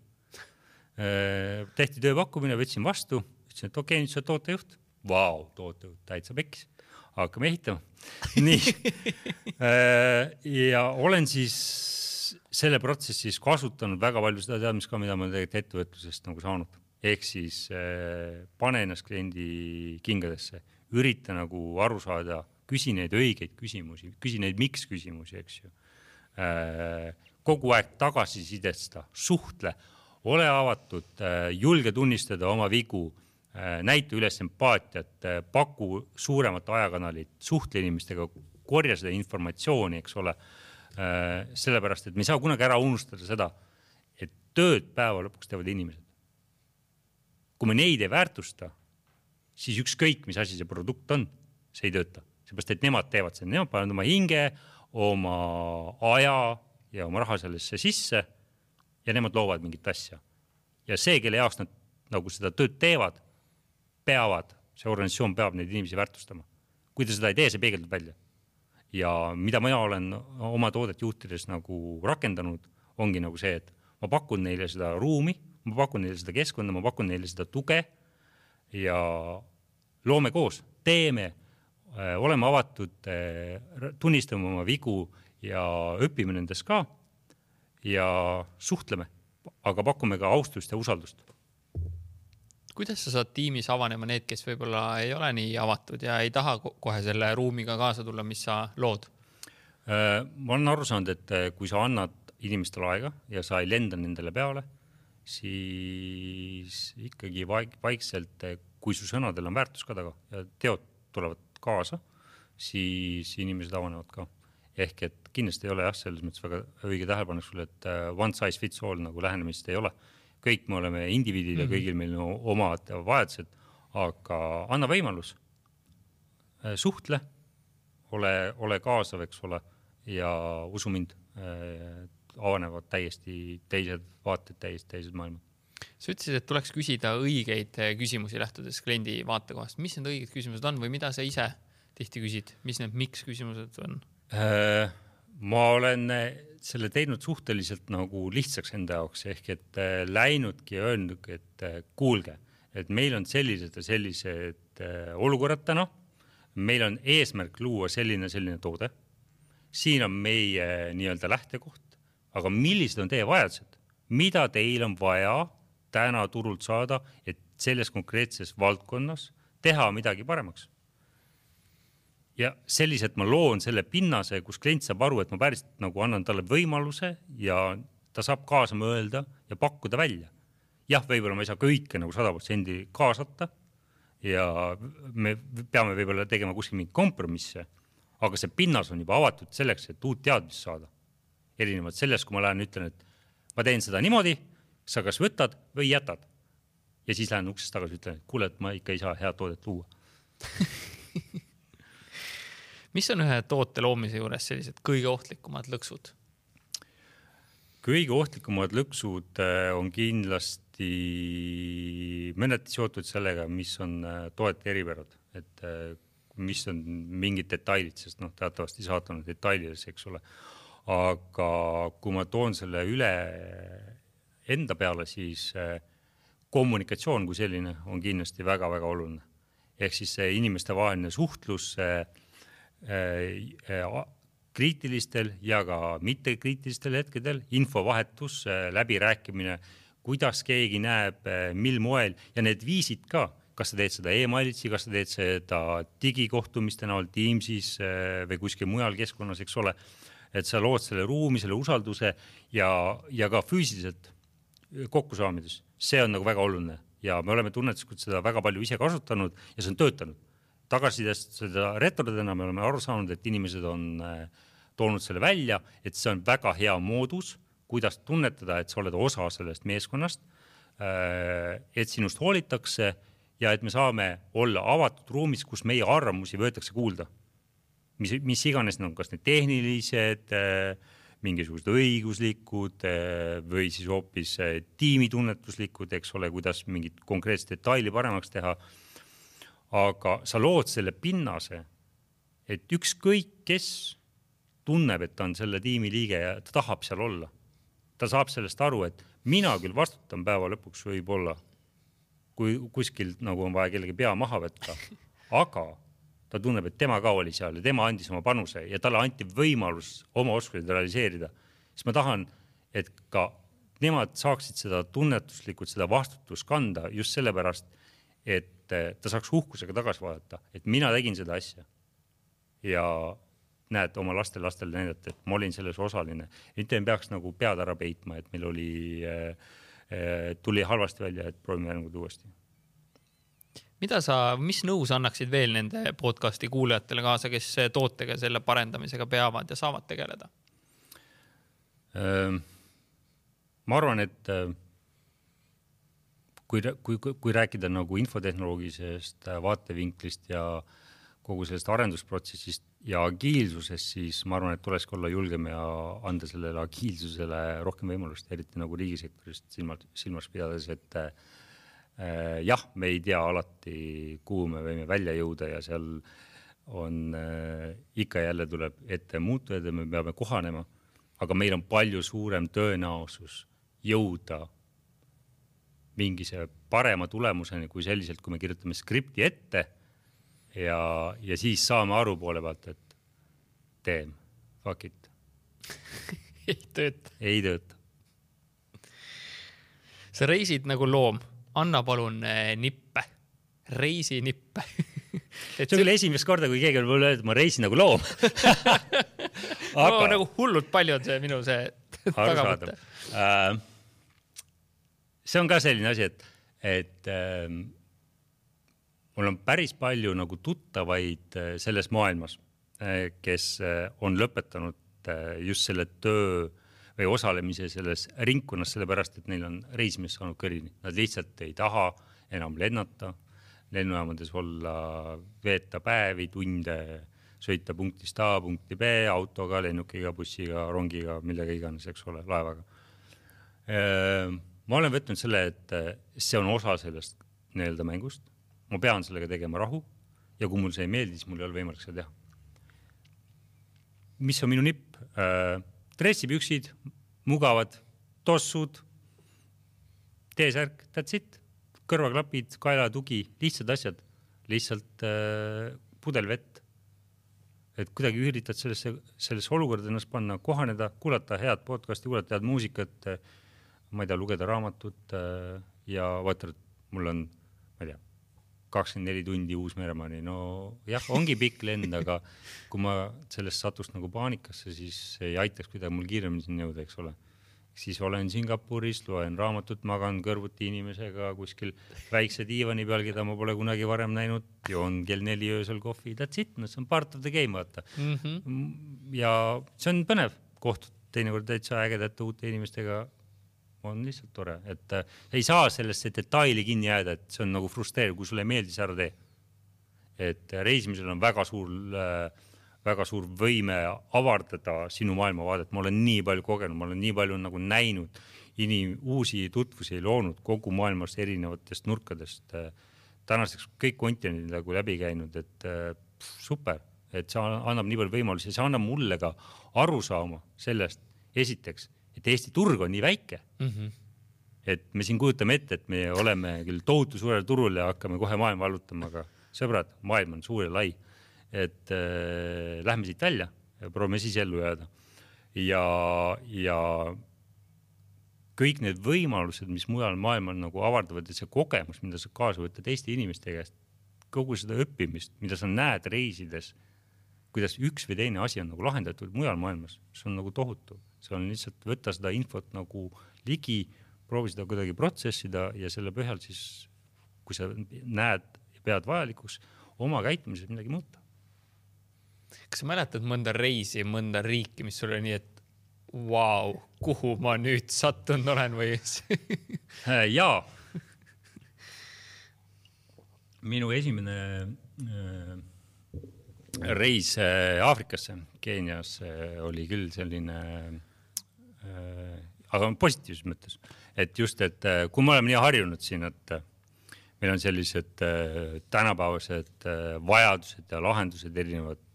Tehti tööpakkumine, võtsin vastu, ütlesin, et okei, nüüd sa tootejuht. Vau, tootejuht, täitsa pekkis. Hakkame ehitama. Nii. Ja olen siis selle protsessis kasutanud väga palju seda teadmist ka, mida ma tegelikult ettevõtlusest nagu saanud. Ehk siis pane ennast kliendi kingadesse, ürita nagu aru saada, küsi neid õigeid küsimusi, küsi neid miks küsimusi, eks ju. Kogu aeg tagasisidesta, suhtle, ole avatud, julge tunnistada oma vigu, näita üles empaatiat, paku suuremat ajakanalit, suhtle inimestega, korja seda informatsiooni, eks ole, sellepärast, et me ei saa kunagi ära unustada seda, et tööd päeva lõpuks teevad inimesed. Kui me neid ei väärtusta, siis ükskõik, mis asi see produkt on, see ei tööta. Seepärast, et nemad teevad seda, nemad panevad oma hinge, oma aja ja oma raha sellesse sisse ja nemad loovad mingit asja. Ja see, kelle jaoks nad nagu seda tööd teevad, see organisatsioon peab neid inimesi väärtustama. Kui ta seda ei tee, see peegeldub välja. Ja mida ma olen oma toodet juhtides nagu rakendanud, ongi nagu see, et ma pakun neile seda ruumi, ma pakun neile seda keskkonda, ma pakun neile seda tuge ja loome koos, teeme, oleme avatud, tunnistame oma vigu ja õpime nendest ka ja suhtleme, aga pakume ka austust ja usaldust. Kuidas sa saad tiimis avanema need, kes võib-olla ei ole nii avatud ja ei taha kohe selle ruumiga kaasa tulla, mis sa lood? Ma olen aru saanud, et kui sa annad inimestele aega ja sa ei lenda nendele peale, siis ikkagi vaikselt, kui su sõnadel on väärtus ka taga ja teod tulevad kaasa, siis inimesed avanevad ka. Ehk et kindlasti ei ole selles mõttes väga õige tähelepanek sulle, et one size fits all nagu lähenemist ei ole. Kõik me oleme indiviidid ja kõigil meil on omad vajadused, aga anna võimalus, suhtle, ole kaasav, eks ole, ja usu mind, avanevad täiesti teised vaated, täiesti teised maailmad. Sa ütlesid, et tuleks küsida õigeid küsimusi lähtudes kliendi vaatekohast. Mis need õiged küsimused on või mida sa ise tihti küsid? Mis need miks küsimused on? Ma olen selle teinud suhteliselt nagu lihtsaks enda jaoks, ehk et läinudki ja öelnud, et kuulge, et meil on sellised ja sellised olukorrad täna, meil on eesmärk luua selline toode, siin on meie nii-öelda lähtekoht, aga millised on teie vajadused, mida teil on vaja täna turult saada, et selles konkreetses valdkonnas teha midagi paremaks. Ja selliselt ma loon selle pinnase, kus klient saab aru, et ma päriselt nagu annan talle võimaluse ja ta saab kaasa mõelda ja pakkuda välja. Jah, võib-olla ma ei saa kõike nagu 100% kaasata ja me peame võib-olla tegema kuskil mingi kompromisse, aga see pinnas on juba avatud selleks, et uut teadmist saada. Erinevalt sellest, kui ma lähen ütlen, et ma teen seda niimoodi, sa kas võtad või jätad. Ja siis lähen uksest tagasi ütlen, et kuule, et ma ikka ei saa head toodet luua. Mis on ühe toote loomise juures sellised kõige ohtlikumad lõksud? Kõige ohtlikumad lõksud on kindlasti mõneti seotud sellega, mis on toete eripärad, et mis on mingid detailid, sest teatavasti saatanud detailides, eks ole. Aga kui ma toon selle üle enda peale, siis kommunikatsioon kui selline on kindlasti väga-väga oluline. Ehk siis see inimeste vaheline suhtlus kriitilistel ja ka mittekriitilistel hetkedel, infovahetus, läbirääkimine, kuidas keegi näeb, mil moel ja need viisid ka, kas sa teed seda e-mailitsi, kas sa teed seda digikohtumiste näol Teamsis või kuskil mujal keskkonnas, eks ole, et sa lood selle ruumi, selle usalduse ja ka füüsiliselt kokkusaamides. See on nagu väga oluline ja me oleme tunnetuslikult seda väga palju ise kasutanud ja see on töötanud. Tagasidest seda retrodena me oleme aru saanud, et inimesed on toonud selle välja, et see on väga hea moodus, kuidas tunnetada, et sa oled osa sellest meeskonnast, et sinust hoolitakse ja et me saame olla avatud ruumis, kus meie arvamusi võetakse kuulda. Mis iganes on kas need tehnilised, mingisugused õiguslikud või siis hoopis tiimitunnetuslikud, eks ole, kuidas mingit konkreetset detaili paremaks teha. Aga sa lood selle pinnase, et ükskõik kes tunneb, et ta on selle tiimi liige ja ta tahab seal olla. Ta saab sellest aru, et mina küll vastutan päeva lõpuks võib-olla, kui kuskil nagu on vaja kellegi pea maha võtta, aga ta tunneb, et tema ka oli seal ja tema andis oma panuse ja talle anti võimalus oma oskusi realiseerida. Siis ma tahan, et ka nemad saaksid seda tunnetuslikult, seda vastutust kanda just sellepärast, et ta saaks uhkusega tagasi vaadata, et mina tegin seda asja ja näed oma lastele näidata, et ma olin selles osaline. Mitte ei peaks nagu pead ära peitma, et meil tuli halvasti välja, et proovime järgmine uuesti. Mis nõu sa annaksid veel nende podcasti kuulajatele kaasa, kes tootega selle parendamisega peavad ja saavad tegeleda? Ma arvan, et kui rääkida nagu infotehnoloogilisest vaatevinklist ja kogu sellest arendusprotsessist ja agiilsusest, siis ma arvan, et tuleski olla julgem ja anda sellele agiilsusele rohkem võimalust, eriti nagu riigisektorist silmas pidades, et jah, me ei tea alati, kuhu me võime välja jõuda ja seal on ikka jälle tuleb ette muutujaid ja me peame kohanema, aga meil on palju suurem tõenäosus jõuda mingise parema tulemuseni kui selliselt, kui me kirjutame skripti ette ja siis saame aru poole pealt, et teem, fuck it. Ei tööta. Sa reisid nagu loom. Anna palun nippe. Reisi nippe. See on küll esimest korda, kui keegi on mulle öeldud, ma reisin nagu loom. Aga nagu hullult palju on see minu tagamõte. See on ka selline asi, et mul on päris palju nagu tuttavaid selles maailmas, kes on lõpetanud just selle töö või osalemise selles ringkonnas, sellepärast, et neil on reisimist saanud kõrini. Nad lihtsalt ei taha enam lennata, lennujaamades olla, veeta päevi, tunde, sõita punktist A, punkti B, autoga, lennukiga, bussiga, rongiga, millega iganes, eks ole, laevaga. Ma olen võtnud selle, et see on osa sellest nii-öelda mängust. Ma pean sellega tegema rahu ja kui mul see ei meeldi, siis mul ei ole võimalik seda teha. Mis on minu nipp? Dressipüksid, mugavad, tossud, T-särk, that's it. kõrvaklapid, kaelatugi, lihtsad asjad, lihtsalt pudel vett. Et kuidagi üritad sellesse olukorda ennast panna, kohaneda, kuulata head podcasti, kuulata head muusikat, ma ei tea, lugeda raamatut ja vaata, et mul on, ma ei tea, 24 tundi Uus-Meremaani. No jah, ongi pikk lend, aga kui ma sellest satust nagu paanikasse, siis ei aitaks kuidagi mul kiiremini siin jõuda, eks ole. Siis olen Singapuris, loen raamatut, magan kõrvuti inimesega kuskil väikse diivani peal, keda ma pole kunagi varem näinud, joon kell 4 öösel kohvi, that's it, no see on part of the game, vaata. Ja see on põnev, kohtud teinekord täitsa ägedate uute inimestega, on lihtsalt tore, et ei saa sellesse detaili kinni jääda, et see on nagu frustreeriv, kui sulle meeldis ära tee. Et reisimisel on väga suur võime avardada sinu maailmavaadet. Ma olen nii palju kogenud, ma olen nii palju nagu näinud uusi tutvusi loonud kogu maailmast erinevatest nurkadest. Tänaseks kõik kontinendid nagu läbi käinud, et super, et see annab nii palju võimalusi ja see annab mulle ka aru saama sellest esiteks, et Eesti turg on nii väike, et me siin kujutame ette, et me oleme küll tohutu suurel turul ja hakkame kohe maailma allutama, aga sõbrad, maailm on suur ja lai. Et lähme siit välja ja proovime siis ellu jääda. Ja kõik need võimalused, mis mujal maailmal nagu avardavad, et see kogemus, mida sa kaasa võtad Eesti inimeste käest, kogu seda õppimist, mida sa näed reisides, kuidas üks või teine asi on nagu lahendatud mujal maailmas, see on nagu tohutu. See on lihtsalt võtta seda infot nagu ligi, proovi seda kuidagi protsessida ja selle põhjal siis, kui sa näed ja pead vajalikuks, oma käitumises midagi muuta. Kas sa mäletad mõnda reisi, mõnda riiki, mis sulle nii, et vau, kuhu ma nüüd sattunud olen või? Jaa. Minu esimene reis Aafrikasse, Keenias oli küll selline, aga positiivses mõttes. Et just, et kui me oleme nii harjunud siin, et meil on sellised tänapäevased vajadused ja lahendused erinevad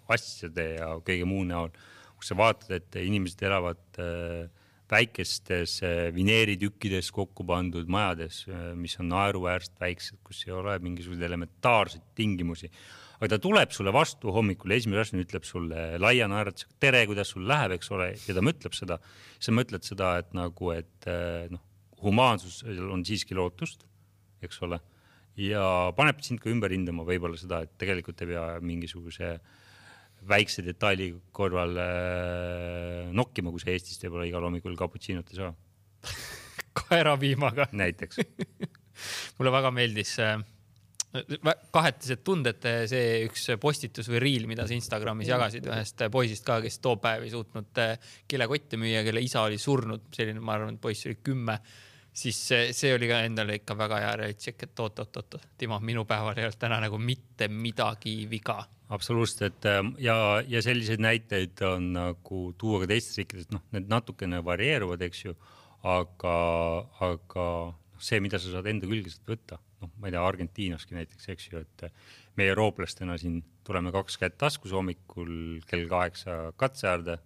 asjade ja kõige muu näol, kus sa vaatad, et inimesed elavad väikestes vineeritükkides kokku pandud majades, mis on naeruväärselt väiksed, kus ei ole mingisuguseid elementaarseid tingimusi. Aga ta tuleb sulle vastu hommikul, esimene asjana ütleb sulle laia naeratusega, tere, kuidas sul läheb, eks ole, ja ta mõtleb seda. Sa mõtled seda, et nagu, et humaansus on siiski lootust, eks ole, ja paneb sind ka ümber hindama võib-olla seda, et tegelikult ei pea mingisuguse väikse detaili korval nokkima, kui see Eestist ei pole igal hommikul cappuccino't ei saa. Kaeraviimaga. Näiteks. Mulle väga meeldis kahetised tunded, see üks postitus või riil, mida sa Instagramis jagasid ühest poisist ka, kes too päev ei suutnud kilekotti müüa, kelle isa oli surnud, selline, ma arvan, et poiss oli 10, siis see oli ka endale ikka väga hea realitšek, et oot, Timo, minu päeval ei olnud täna nagu mitte midagi viga. Absoluutselt, et ja selliseid näiteid on nagu tuua ka teistes riikides, need natukene varieeruvad, eks ju, aga see, mida sa saad enda külgeselt võtta, ma ei tea, Argentiinaski näiteks, eks ju, et meie eurooplastena siin tuleme 2 kätt taskus hommikul kell 8 katseäärde,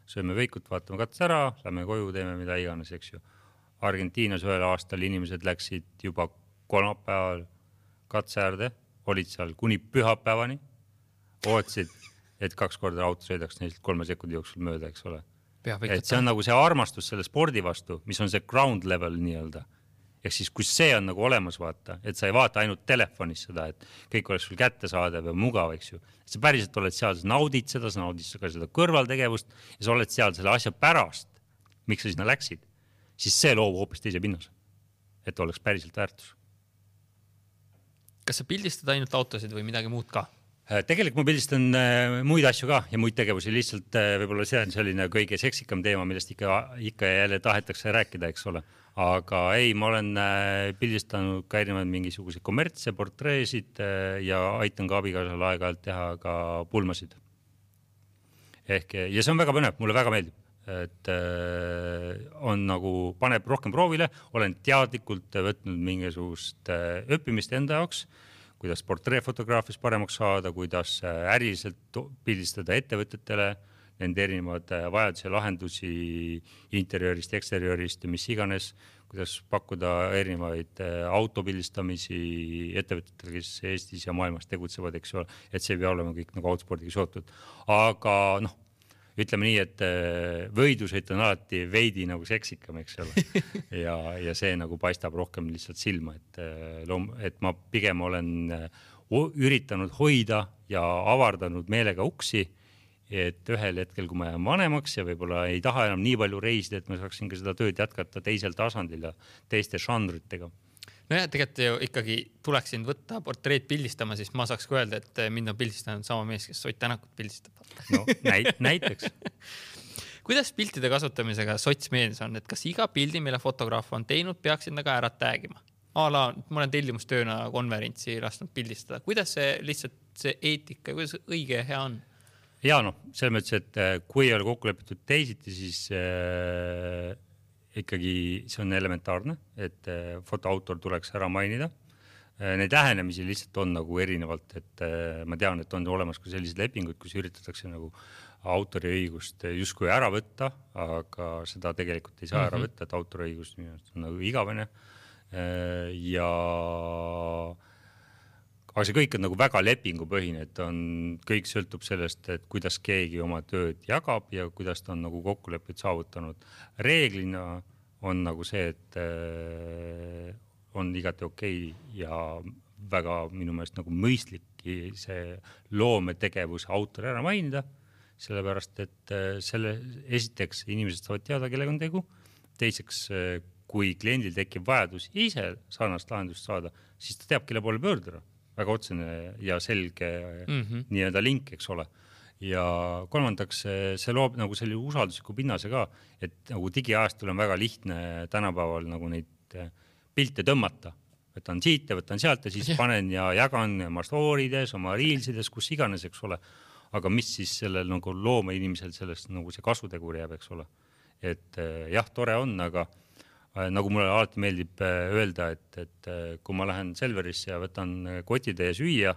sööme veikut, vaatame katse ära, lähme koju, teeme mida iganes, eks ju. Argentiinas ühel aastal inimesed läksid juba kolmapäeval katseäärde, olid seal kuni pühapäevani, ootsid, et 2 korda auto sõidaks neist 3 sekundi jooksul mööda, eks ole. Et see on nagu see armastus selle spordi vastu, mis on see ground level nii-öelda. Ehk siis, kui see on nagu olemas vaata, et sa ei vaata ainult telefonis seda, et kõik oleks sul kätte saada või mugav, eks ju. Sa päriselt oled seal, sa naudid seda, sa naudid ka seda kõrvaltegevust ja sa oled seal selle asja pärast, miks sa sinna läksid, siis see loob hoopis teise pinnas, et oleks päriselt väärtus. Kas sa pildistad ainult autosid või midagi muud ka? Tegelikult ma pildistan muid asju ka ja muid tegevusi, lihtsalt võib-olla see on selline kõige seksikam teema, millest ikka jälle tahetakse rääkida, eks ole. Aga ei, ma olen pildistanud ka erinevaid mingisuguse kommertse portreesid ja aitan ka abikaasal aeg-ajalt teha ka pulmasid. Ja see on väga põnev, mulle väga meeldib, et on nagu, paneb rohkem proovile, olen teadlikult võtnud mingisugust õppimist enda jaoks, kuidas portreefotograafias paremaks saada, kuidas äriliselt pildistada ettevõtetele, nende erinevad vajaduse lahendusi interjöörist, eksterjöörist ja mis iganes, kuidas pakkuda erinevaid autopildistamisi ettevõtetele, kes Eestis ja maailmas tegutsevad, eks ole, et see ei pea olema kõik nagu autospordiga seotud. Aga ütleme nii, et võidusõit on alati veidi nagu seksikam, eks ole. Ja see nagu paistab rohkem lihtsalt silma, et ma pigem olen üritanud hoida ja avardanud meelega uksi, et ühel hetkel, kui ma jään vanemaks ja võib-olla ei taha enam nii palju reisida, et ma saaksin ka seda tööd jätkata teisel tasandil ja teiste žanritega. No ja tegelikult ju ikkagi tuleks sind võtta portreed pildistama, siis ma saaks ka öelda, et mind on pildistanud sama mees, kes Ott Tänakut pildistab. No näiteks. Kuidas piltide kasutamisega sotsmeedias on, et kas iga pildi, mille fotograaf on teinud, peaks enda ka ära täägima? Ma olen tellimustööna konverentsi lasknud pildistada. Kuidas see lihtsalt see eetika ja kuidas õige ja hea on? Ja selles mõttes, et kui ei ole kokku lepitud teisiti, siis ikkagi see on elementaarne, et fotoautor tuleks ära mainida. Neid lähenemisi lihtsalt on nagu erinevalt, et ma tean, et on olemas ka sellised lepingud, kus üritatakse nagu autoriõigust justkui ära võtta, aga seda tegelikult ei saa ära võtta, et autoriõigust on nagu igavene. Aga see kõik on nagu väga lepingupõhine, et kõik sõltub sellest, et kuidas keegi oma tööd jagab ja kuidas ta on nagu kokkulepet saavutanud. Reeglina on nagu see, et on igati okei ja väga minu meelest nagu mõistlik see loometegevuse autori ära mainida, sellepärast, et selle esiteks inimesed saavad teada, kellega on tegu. Teiseks, kui kliendil tekib vajadus ise sarnast lahendust saada, siis ta teab, kelle poole pöörduda. Väga otsene ja selge nii-öelda link, eks ole. Ja kolmandaks, see loob nagu selle usaldusliku pinnase ka, et nagu digiajastul on väga lihtne tänapäeval nagu neid pilte tõmmata. Võtan siit ja võtan sealt ja siis panen ja jagan oma stoorides, oma reelsides, kus iganes, eks ole. Aga mis siis sellel nagu looma inimesel sellest nagu see kasutegur jääb, eks ole. Et jah, tore on, aga nagu mulle alati meeldib öelda, et kui ma lähen Selverisse ja võtan kotide ja süüa,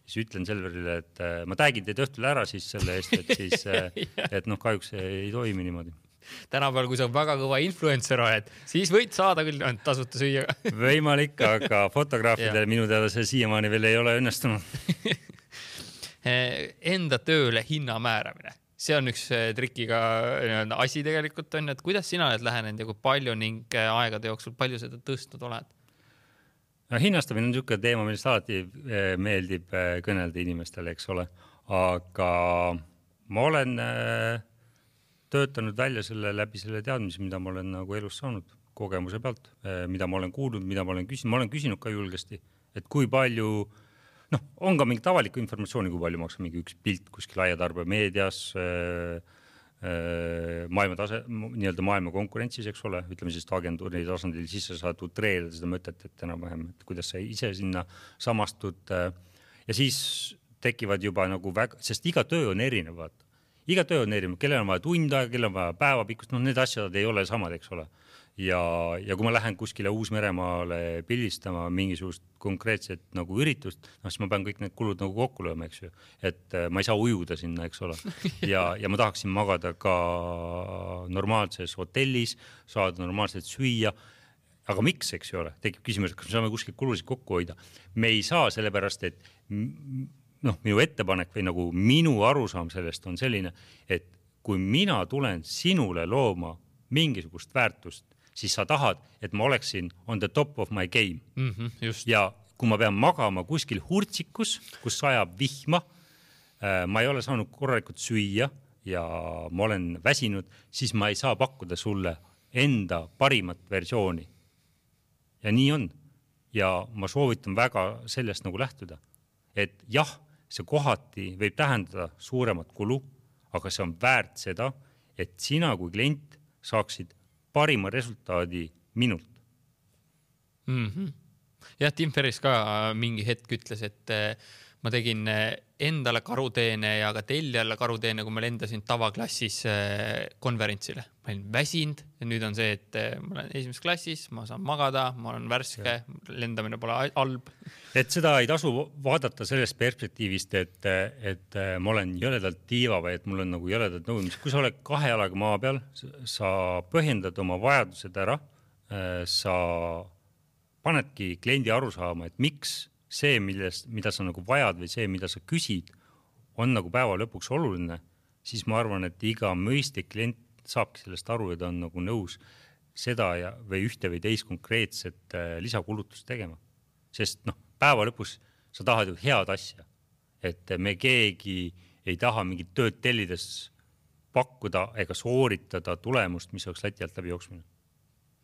siis ütlen Selverile, et ma täägin teid õhtul ära siis selle eest, et siis, et kahjuks ei toimi niimoodi. Tänapäeval, kui sa väga kõva influencer oled, siis võid saada küll tasuta süüa. Võimalik, aga fotograafidele minu teada see siiamaani veel ei ole õnnestunud. Enda tööle hinna määramine. See on üks trikiga asi tegelikult on, et kuidas sina oled lähenenud ja kui palju ning aegade jooksul palju seda tõstnud oled? Hinnastamine on niisugune teema, millest alati meeldib kõnelda inimestele, eks ole. Aga ma olen töötanud välja selle läbi selle teadmise, mida ma olen nagu elus saanud kogemuse pealt, mida ma olen kuulnud, mida ma olen küsinud. Ma olen küsinud ka julgesti, et kui palju on ka mingit avalikku informatsiooni, kui palju maksab mingi üks pilt kuskil laiatarbe meedias, nii-öelda maailma konkurentsis, eks ole, ütleme siis agentuuri tasandil, siis sa saad utreerida seda mõtet, et enam-vähem, et kuidas sa ise sinna samastud. Ja siis tekivad juba nagu väga, sest iga töö on erinevad. Iga töö on erinev, kellel on vaja tund aega, kellel on vaja päevapikkust, need asjad ei ole samad, eks ole. Ja kui ma lähen kuskile Uus-Meremaale pildistama mingisugust konkreetset nagu üritust, siis ma pean kõik need kulud nagu kokku lööma, eks ju. Et ma ei saa ujuda sinna, eks ole. Ja ma tahaksin magada ka normaalses hotellis, saada normaalselt süüa. Aga miks, eks ju ole? Tekib küsimus, kas me saame kuskil kulusid kokku hoida. Me ei saa sellepärast, et minu ettepanek või nagu minu arusaam sellest on selline, et kui mina tulen sinule looma mingisugust väärtust, siis sa tahad, et ma oleksin on the top of my game. Just. Ja kui ma pean magama kuskil hurtsikus, kus sajab vihma, ma ei ole saanud korralikult süüa ja ma olen väsinud, siis ma ei saa pakkuda sulle enda parimat versiooni. Ja nii on. Ja ma soovitan väga sellest nagu lähtuda. Et jah, see kohati võib tähendada suuremat kulu, aga see on väärt seda, et sina kui klient saaksid parima resultaadi minult. Jah, Tim Ferriss ka mingi hetk ütles, et ma tegin endale karuteene ja ka tellijale karuteene, kui ma lendasin tavaklassis konverentsile. Ma olin väsinud ja nüüd on see, et ma olen esimeses klassis, ma saan magada, ma olen värske, lendamine pole halb. Et seda ei tasu vaadata sellest perspektiivist, et ma olen jõledalt tiiva või et mul on nagu jõledalt nõudmised. Kui sa oled 2 jalaga maa peal, sa põhjendad oma vajadused ära sa panedki kliendi aru saama, et miks see, mida sa nagu vajad või see, mida sa küsid, on nagu päeva lõpuks oluline, siis ma arvan, et iga mõistlik klient saabki sellest aru ja ta on nagu nõus seda või ühte või teist konkreetset lisakulutust tegema. Sest päeva lõpus sa tahad ju head asja, et me keegi ei taha mingit tööd tellides pakkuda ega sooritada tulemust, mis oleks lati alt läbi jooksmine.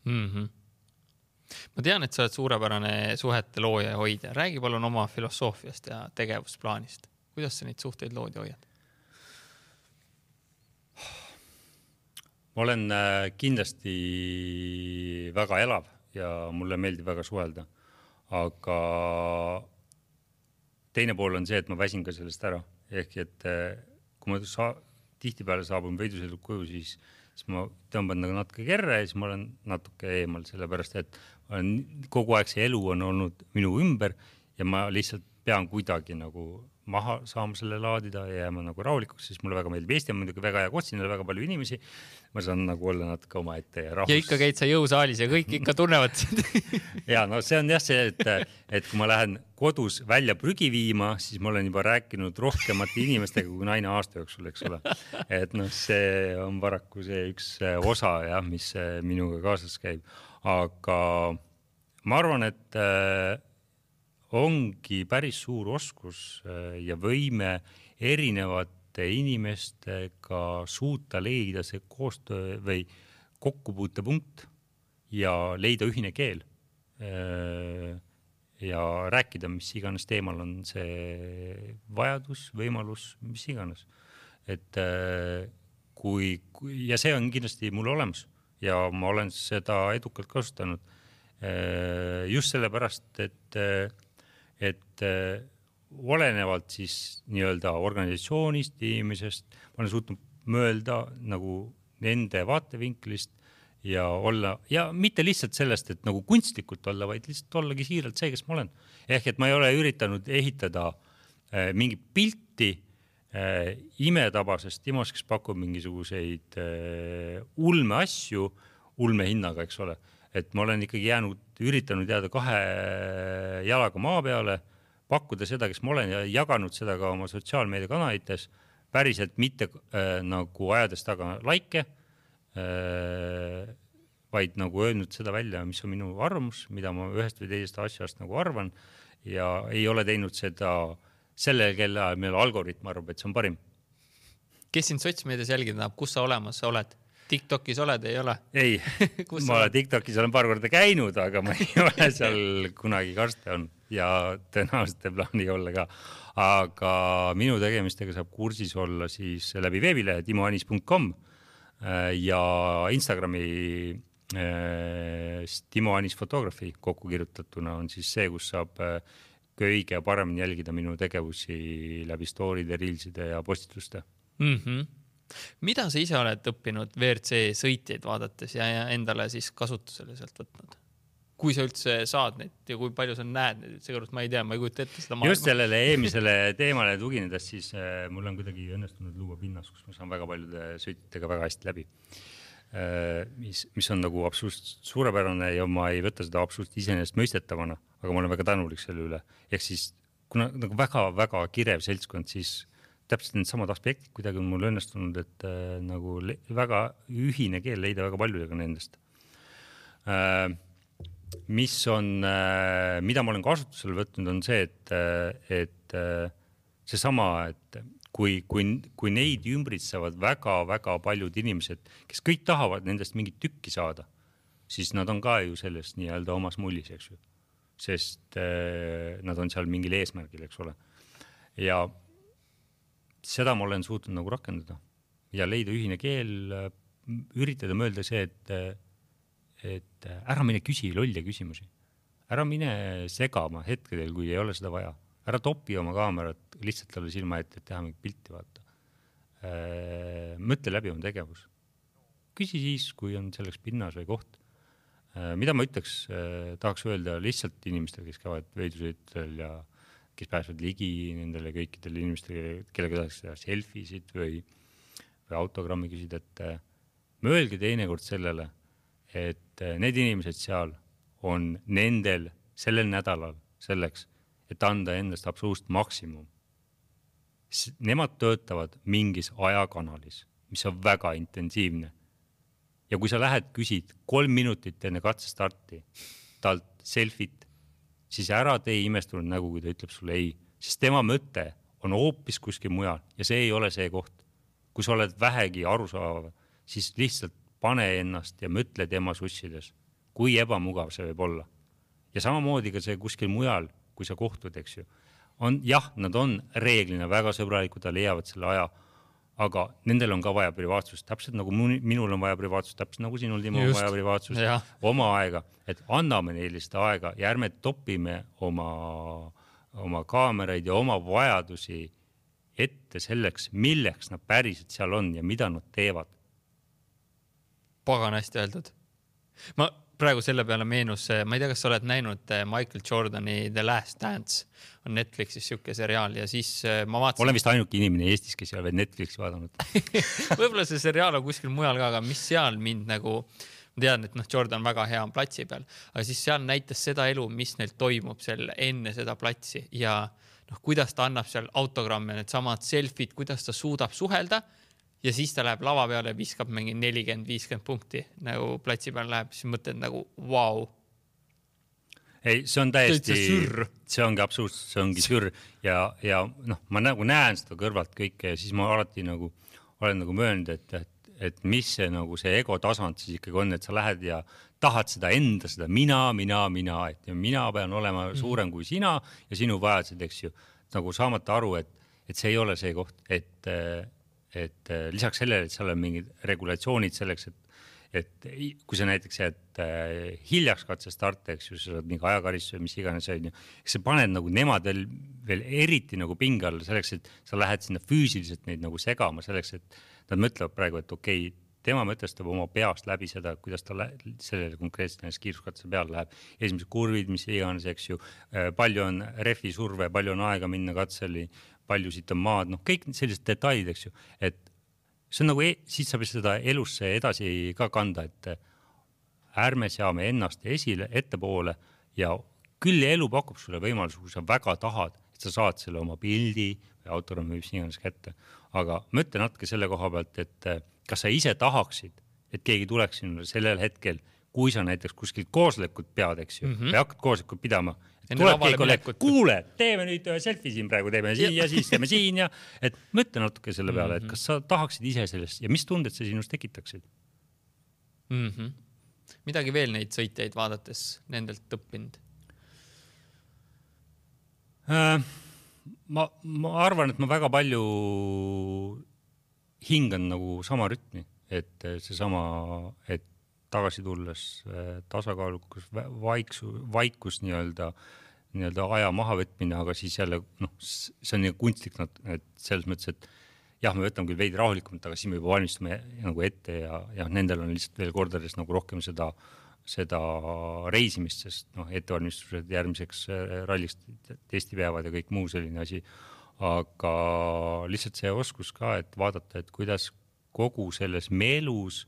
Ma tean, et sa oled suurepärane suhete looja ja hoidja. Räägi palun oma filosoofiast ja tegevusplaanist. Kuidas sa neid suhteid lood ja hoiad? Ma olen kindlasti väga elav ja mulle meeldib väga suhelda. Aga teine pool on see, et ma väsin ka sellest ära. Ehk et kui ma tihtipeale saabun võidusõidul koju, siis ma tõmban nagu natuke kerre ja siis ma olen natuke eemal, sellepärast et kogu aeg see elu on olnud minu ümber ja ma lihtsalt pean kuidagi nagu maha saama selle laadida ja jääma nagu rahulikuks, siis mulle väga meeldib. Eesti on muidugi väga hea koht, siin on väga palju inimesi. Ma saan nagu olla natuke oma ette ja rahus. Ja ikka käid sa jõusaalis ja kõik ikka tunnevad ja see on jah see, et kui ma lähen kodus välja prügi viima, siis ma olen juba rääkinud rohkemate inimestega kui naine aasta jooksul, eks ole. Et see on paraku see üks osa, jah, mis minuga kaasas käib. Aga ma arvan, et ongi päris suur oskus ja võime erinevate inimestega suuta leida see koostöö või kokkupuutepunkt ja leida ühine keel ja rääkida, mis iganes teemal on see vajadus, võimalus, mis iganes. Et ja see on kindlasti mul olemas ja ma olen seda edukalt kasutanud just sellepärast, et olenevalt siis nii-öelda organisatsioonist, inimesest, ma olen suutnud mõelda nagu nende vaatevinklist ja olla, ja mitte lihtsalt sellest, et nagu kunstlikult olla, vaid lihtsalt ollagi siiralt see, kes ma olen. Ehk et ma ei ole üritanud ehitada mingi pilti imetabasest Timos, kes pakub mingisuguseid ulme asju, ulme hinnaga, eks ole. Et ma olen ikkagi üritanud jääda 2 jalaga maa peale, pakkuda seda, kes ma olen ja jaganud seda ka oma sotsiaalmeediakanalites, päriselt mitte nagu ajades taga laike, vaid nagu öelnud seda välja, mis on minu arvamus, mida ma ühest või teisest asjast nagu arvan ja ei ole teinud seda sellel kella, meil algoritm arvab, et see on parim. Kes sind sotsmeedias jälgida tahab, kus sa olemas oled? TikTokis oled, ei ole? Ei, ma TikTokis olen paar korda käinud, aga ma ei ole seal kunagi karste on ja tõenäoliselt plaani olla ka. Aga minu tegemistega saab kursis olla siis läbi veebilehe timoanis.com ja Instagrami Timo Anis Photography kokku kirjutatuna on siis see, kus saab kõige paremini jälgida minu tegevusi läbi story'de, reelside ja postituste. Mida sa ise oled õppinud WRC sõitjaid vaadates ja endale siis kasutusele sealt võtnud? Kui sa üldse saad neid ja kui palju sa näed neid, seepärast ma ei tea, ma ei kujuta ette seda maailma. Just sellele eelmisele teemale tuginedes, siis mul on kuidagi õnnestunud luua pinnas, kus ma saan väga paljude sõitjatega väga hästi läbi. Mis on nagu absoluutselt suurepärane ja ma ei võta seda absoluutselt iseenesest mõistetavana, aga ma olen väga tänulik selle üle. Ehk siis, kuna nagu väga kirev seltskond, siis täpselt need samad aspektid kuidagi on mul õnnestunud, et nagu väga ühine keel leida väga paljudega nendest. Mida ma olen kasutusele võtnud, on see, et see sama, et kui neid ümbritsevad väga paljud inimesed, kes kõik tahavad nendest mingit tükki saada, siis nad on ka ju sellest nii-öelda omas mullis, eks ju. Sest nad on seal mingil eesmärgil, eks ole. Ja seda ma olen suutnud nagu rakendada ja leida ühine keel, üritada mõelda see, et ära mine küsi lolja küsimusi. Ära mine segama hetkedel, kui ei ole seda vaja. Ära topi oma kaamerat lihtsalt talle silma ette, et teha mingit pilti vaata. Mõtle läbi oma tegevus. Küsi siis, kui on selleks pinnas või koht. Mida ma ütleks, tahaks öelda lihtsalt inimestele, kes käivad veidusõitel ja kes pääsevad ligi nendele kõikidele inimestele, kellega tahaks teha selfisid või autogrammi küsida, et mõelge teinekord sellele, et need inimesed seal on nendel sellel nädalal selleks, et anda endast absoluutselt maksimum. Nemad töötavad mingis ajakanalis, mis on väga intensiivne. Ja kui sa lähed, küsid 3 minutit enne katsestarti talt selfit, siis ära tee imestunud nägu, kui ta ütleb sulle ei, sest tema mõte on hoopis kuskil mujal ja see ei ole see koht. Kui sa oled vähegi arusaavav, siis lihtsalt pane ennast ja mõtle tema sussides, kui ebamugav see võib olla. Ja samamoodi ka see kuskil mujal, kui sa kohtud, eks ju, jah, nad on reeglina väga sõbralikud, ta leiavad selle aja, aga nendel on ka vaja privaatsust, täpselt nagu minul on vaja privaatsust, täpselt nagu sinul, Timo, on vaja privaatsust, oma aega, et anname neile seda aega ja ärme topime oma kaameraid ja oma vajadusi ette selleks, milleks nad päriselt seal on ja mida nad teevad. Pagan hästi öeldud. Ma praegu selle peale meenus, ma ei tea, kas sa oled näinud Michael Jordani The Last Dance, on Netflixis siuke seriaal ja siis ma vaatasin... Olen vist ainuke inimene Eestis, kes ei ole veel Netflixi vaadanud. Võib-olla see seriaal on kuskil mujal ka, aga mis seal mind nagu... Ma tean, et Jordan väga hea on platsi peal, aga siis seal näitas seda elu, mis neil toimub seal enne seda platsi ja kuidas ta annab seal autogramme, need samad selfid, kuidas ta suudab suhelda ja siis ta läheb lava peale ja viskab mingi 40-50 punkti nagu platsi peal läheb, siis mõtled nagu vau. Ei, see on täiesti, see ongi absoluutselt, see ongi sür ja ma nagu näen seda kõrvalt kõike ja siis ma alati nagu olen nagu möönud, et mis see nagu see ego tasand siis ikkagi on, et sa lähed ja tahad seda enda, seda mina, et mina pean olema suurem kui sina ja sinu vajadused, eks ju, nagu saamata aru, et see ei ole see koht, et lisaks sellele, et seal on mingid regulatsioonid selleks, et kui sa näiteks jääd hiljaks katsestarte, eks ju, sa saad mingi ajakaristus või mis iganes, sa paned nagu nemad veel eriti nagu pingal selleks, et sa lähed sinna füüsiliselt neid nagu segama selleks, et nad mõtlevad praegu, et okei, tema mõtestab oma peast läbi seda, kuidas ta sellele konkreetselt kiiruskatse peal läheb. Esimesed kurvid, mis iganes, eks ju, palju on refi surve, palju on aega minna katseli, palju siit on maad, kõik sellised detailid, eks ju, et see on nagu, siit saab seda elusse edasi ka kanda, et ärme seame ennast esile, ettepoole ja küll elu pakub sulle võimalus, kui sa väga tahad, et sa saad selle oma pildi või autogrammi mis iganes kätte. Aga mõtle natuke selle koha pealt, et kas sa ise tahaksid, et keegi tuleks sinule sellel hetkel, kui sa näiteks kuskilt koosolekut pead, eks ju, või hakkad koosolekut pidama, tuleb keegi kolleeg, kuule, teeme nüüd ühe selfie siin praegu, teeme siin ja siis teeme siin ja et mõtle natuke selle peale, et kas sa tahaksid ise sellest ja mis tunded sa sinust tekitaksid? Midagi veel neid sõitjaid vaadates nendelt õppinud? Ma arvan, et ma väga palju hingan nagu sama rütmi, et see sama, et tagasi tulles tasakaalukus, vaikus nii-öelda aja mahavõtmine, aga siis jälle, see on nii kunstlik, et selles mõttes, et jah, me võtame küll veidi rahulikumalt, aga siis me juba valmistume nagu ette ja nendel on lihtsalt veel kordades nagu rohkem seda reisimist, sest ettevalmistused järgmiseks rallist testipäevad ja kõik muu selline asi, aga lihtsalt see oskus ka, et vaadata, et kuidas kogu selles meelus,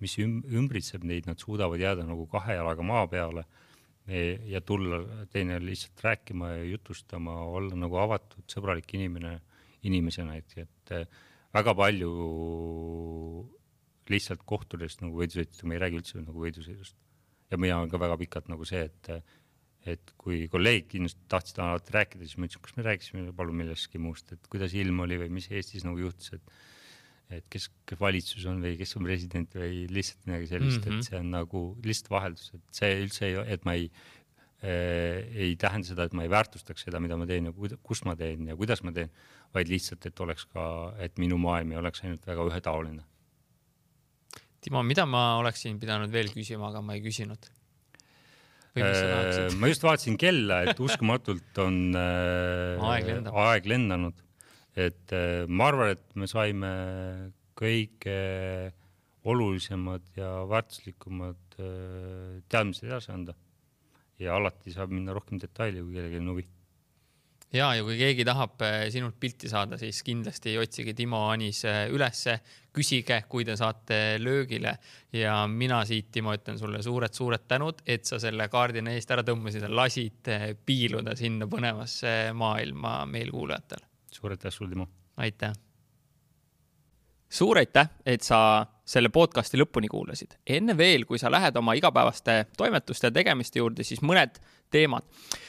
mis ümbritseb neid, nad suudavad jääda nagu 2 jalaga maa peale ja tulla teine lihtsalt rääkima ja jutustama, olla nagu avatud, sõbralik inimesena, et väga palju lihtsalt kohtudest nagu võidusõitust, ma ei räägi üldse nagu võidusõidust. Ja mina olen ka väga pikalt nagu see, et kui kolleegid kindlasti tahtsid alati rääkida, siis ma ütlesin, kas me rääkisime palun milleski muust, et kuidas ilm oli või mis Eestis nagu juhtus, et kes valitsus on või kes on president või lihtsalt midagi sellist, et see on nagu lihtsalt vaheldus, et see üldse et ma ei tähenda seda, et ma ei väärtustaks seda, mida ma teen ja kus ma teen ja kuidas ma teen, vaid lihtsalt, et oleks ka, et minu maailm ei oleks ainult väga ühetaoline. Timo, mida ma oleksin pidanud veel küsima, aga ma ei küsinud? Ma just vaatasin kella, et uskumatult on aeg lendanud. Et ma arvan, et me saime kõige olulisemad ja väärtuslikumad teadmised edasi anda. Ja alati saab minna rohkem detaili, kui kellelgi on huvi. Ja kui keegi tahab sinult pilti saada, siis kindlasti otsige Timo Anis ülesse, küsige, kui te saate löögile ja mina siit, Timo, ütlen sulle suured tänud, et sa selle kaardina eest ära tõmbasid ja lasid piiluda sinna põnevasse maailma meil kuulajatel. Suur aitäh sul, Timo. Aitäh. Suur aitäh, et sa selle podcasti lõpuni kuulasid. Enne veel, kui sa lähed oma igapäevaste toimetuste ja tegemiste juurde, siis mõned teemad.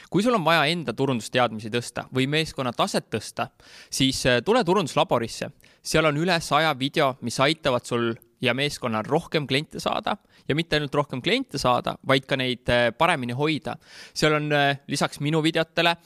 Kui sul on vaja enda turundusteadmisi tõsta või meeskonna taset tõsta, siis tule turunduslaborisse. Seal on üle 100 video, mis aitavad sul ja meeskonnal rohkem kliente saada ja mitte ainult rohkem kliente saada, vaid ka neid paremini hoida. Seal on lisaks minu videotele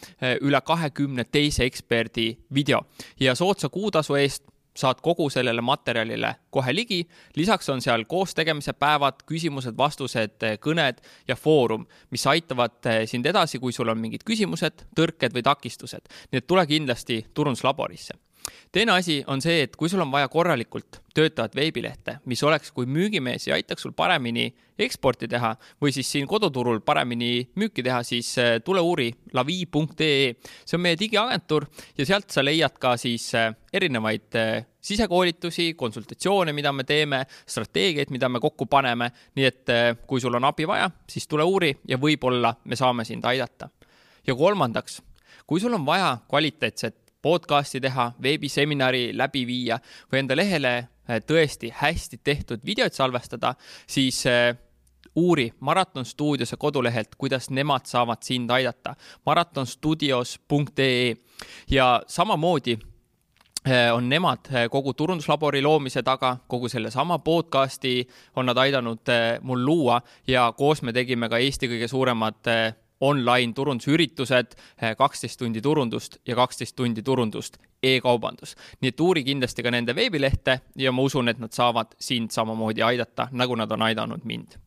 üle 20 teise eksperdi video ja soodsa kuutasu eest saad kogu sellele materjalile kohe ligi. Lisaks on seal koostegemise päevad, küsimused, vastused, kõned ja foorum, mis aitavad sind edasi, kui sul on mingid küsimused, tõrked või takistused. Nii et tule kindlasti turunduslaborisse. Teine asi on see, et kui sul on vaja korralikult töötavat veebilehte, mis oleks kui müügimees ja aitaks sul paremini eksporti teha või siis siin koduturul paremini müüki teha, siis tule uuri lavi.ee. See on meie digiagentuur ja sealt sa leiad ka siis erinevaid sisekoolitusi, konsultatsioone, mida me teeme, strateegiaid, mida me kokku paneme. Nii et kui sul on abi vaja, siis tule uuri ja võib-olla me saame sind aidata. Ja kolmandaks, kui sul on vaja kvaliteetset podcasti teha, veebiseminari läbi viia või enda lehele tõesti hästi tehtud videoid salvestada, siis uuri Marathon Studiose kodulehelt, kuidas nemad saavad sind aidata. marathonstudios.ee ja samamoodi on nemad kogu turunduslabori loomise taga, kogu selle sama podcasti on nad aidanud mul luua ja koos me tegime ka Eesti kõige suuremad online turundusüritused, 12 tundi turundust ja 12 tundi turundust e-kaubandus. Nii et uuri kindlasti ka nende veebilehte ja ma usun, et nad saavad sind samamoodi aidata, nagu nad on aidanud mind.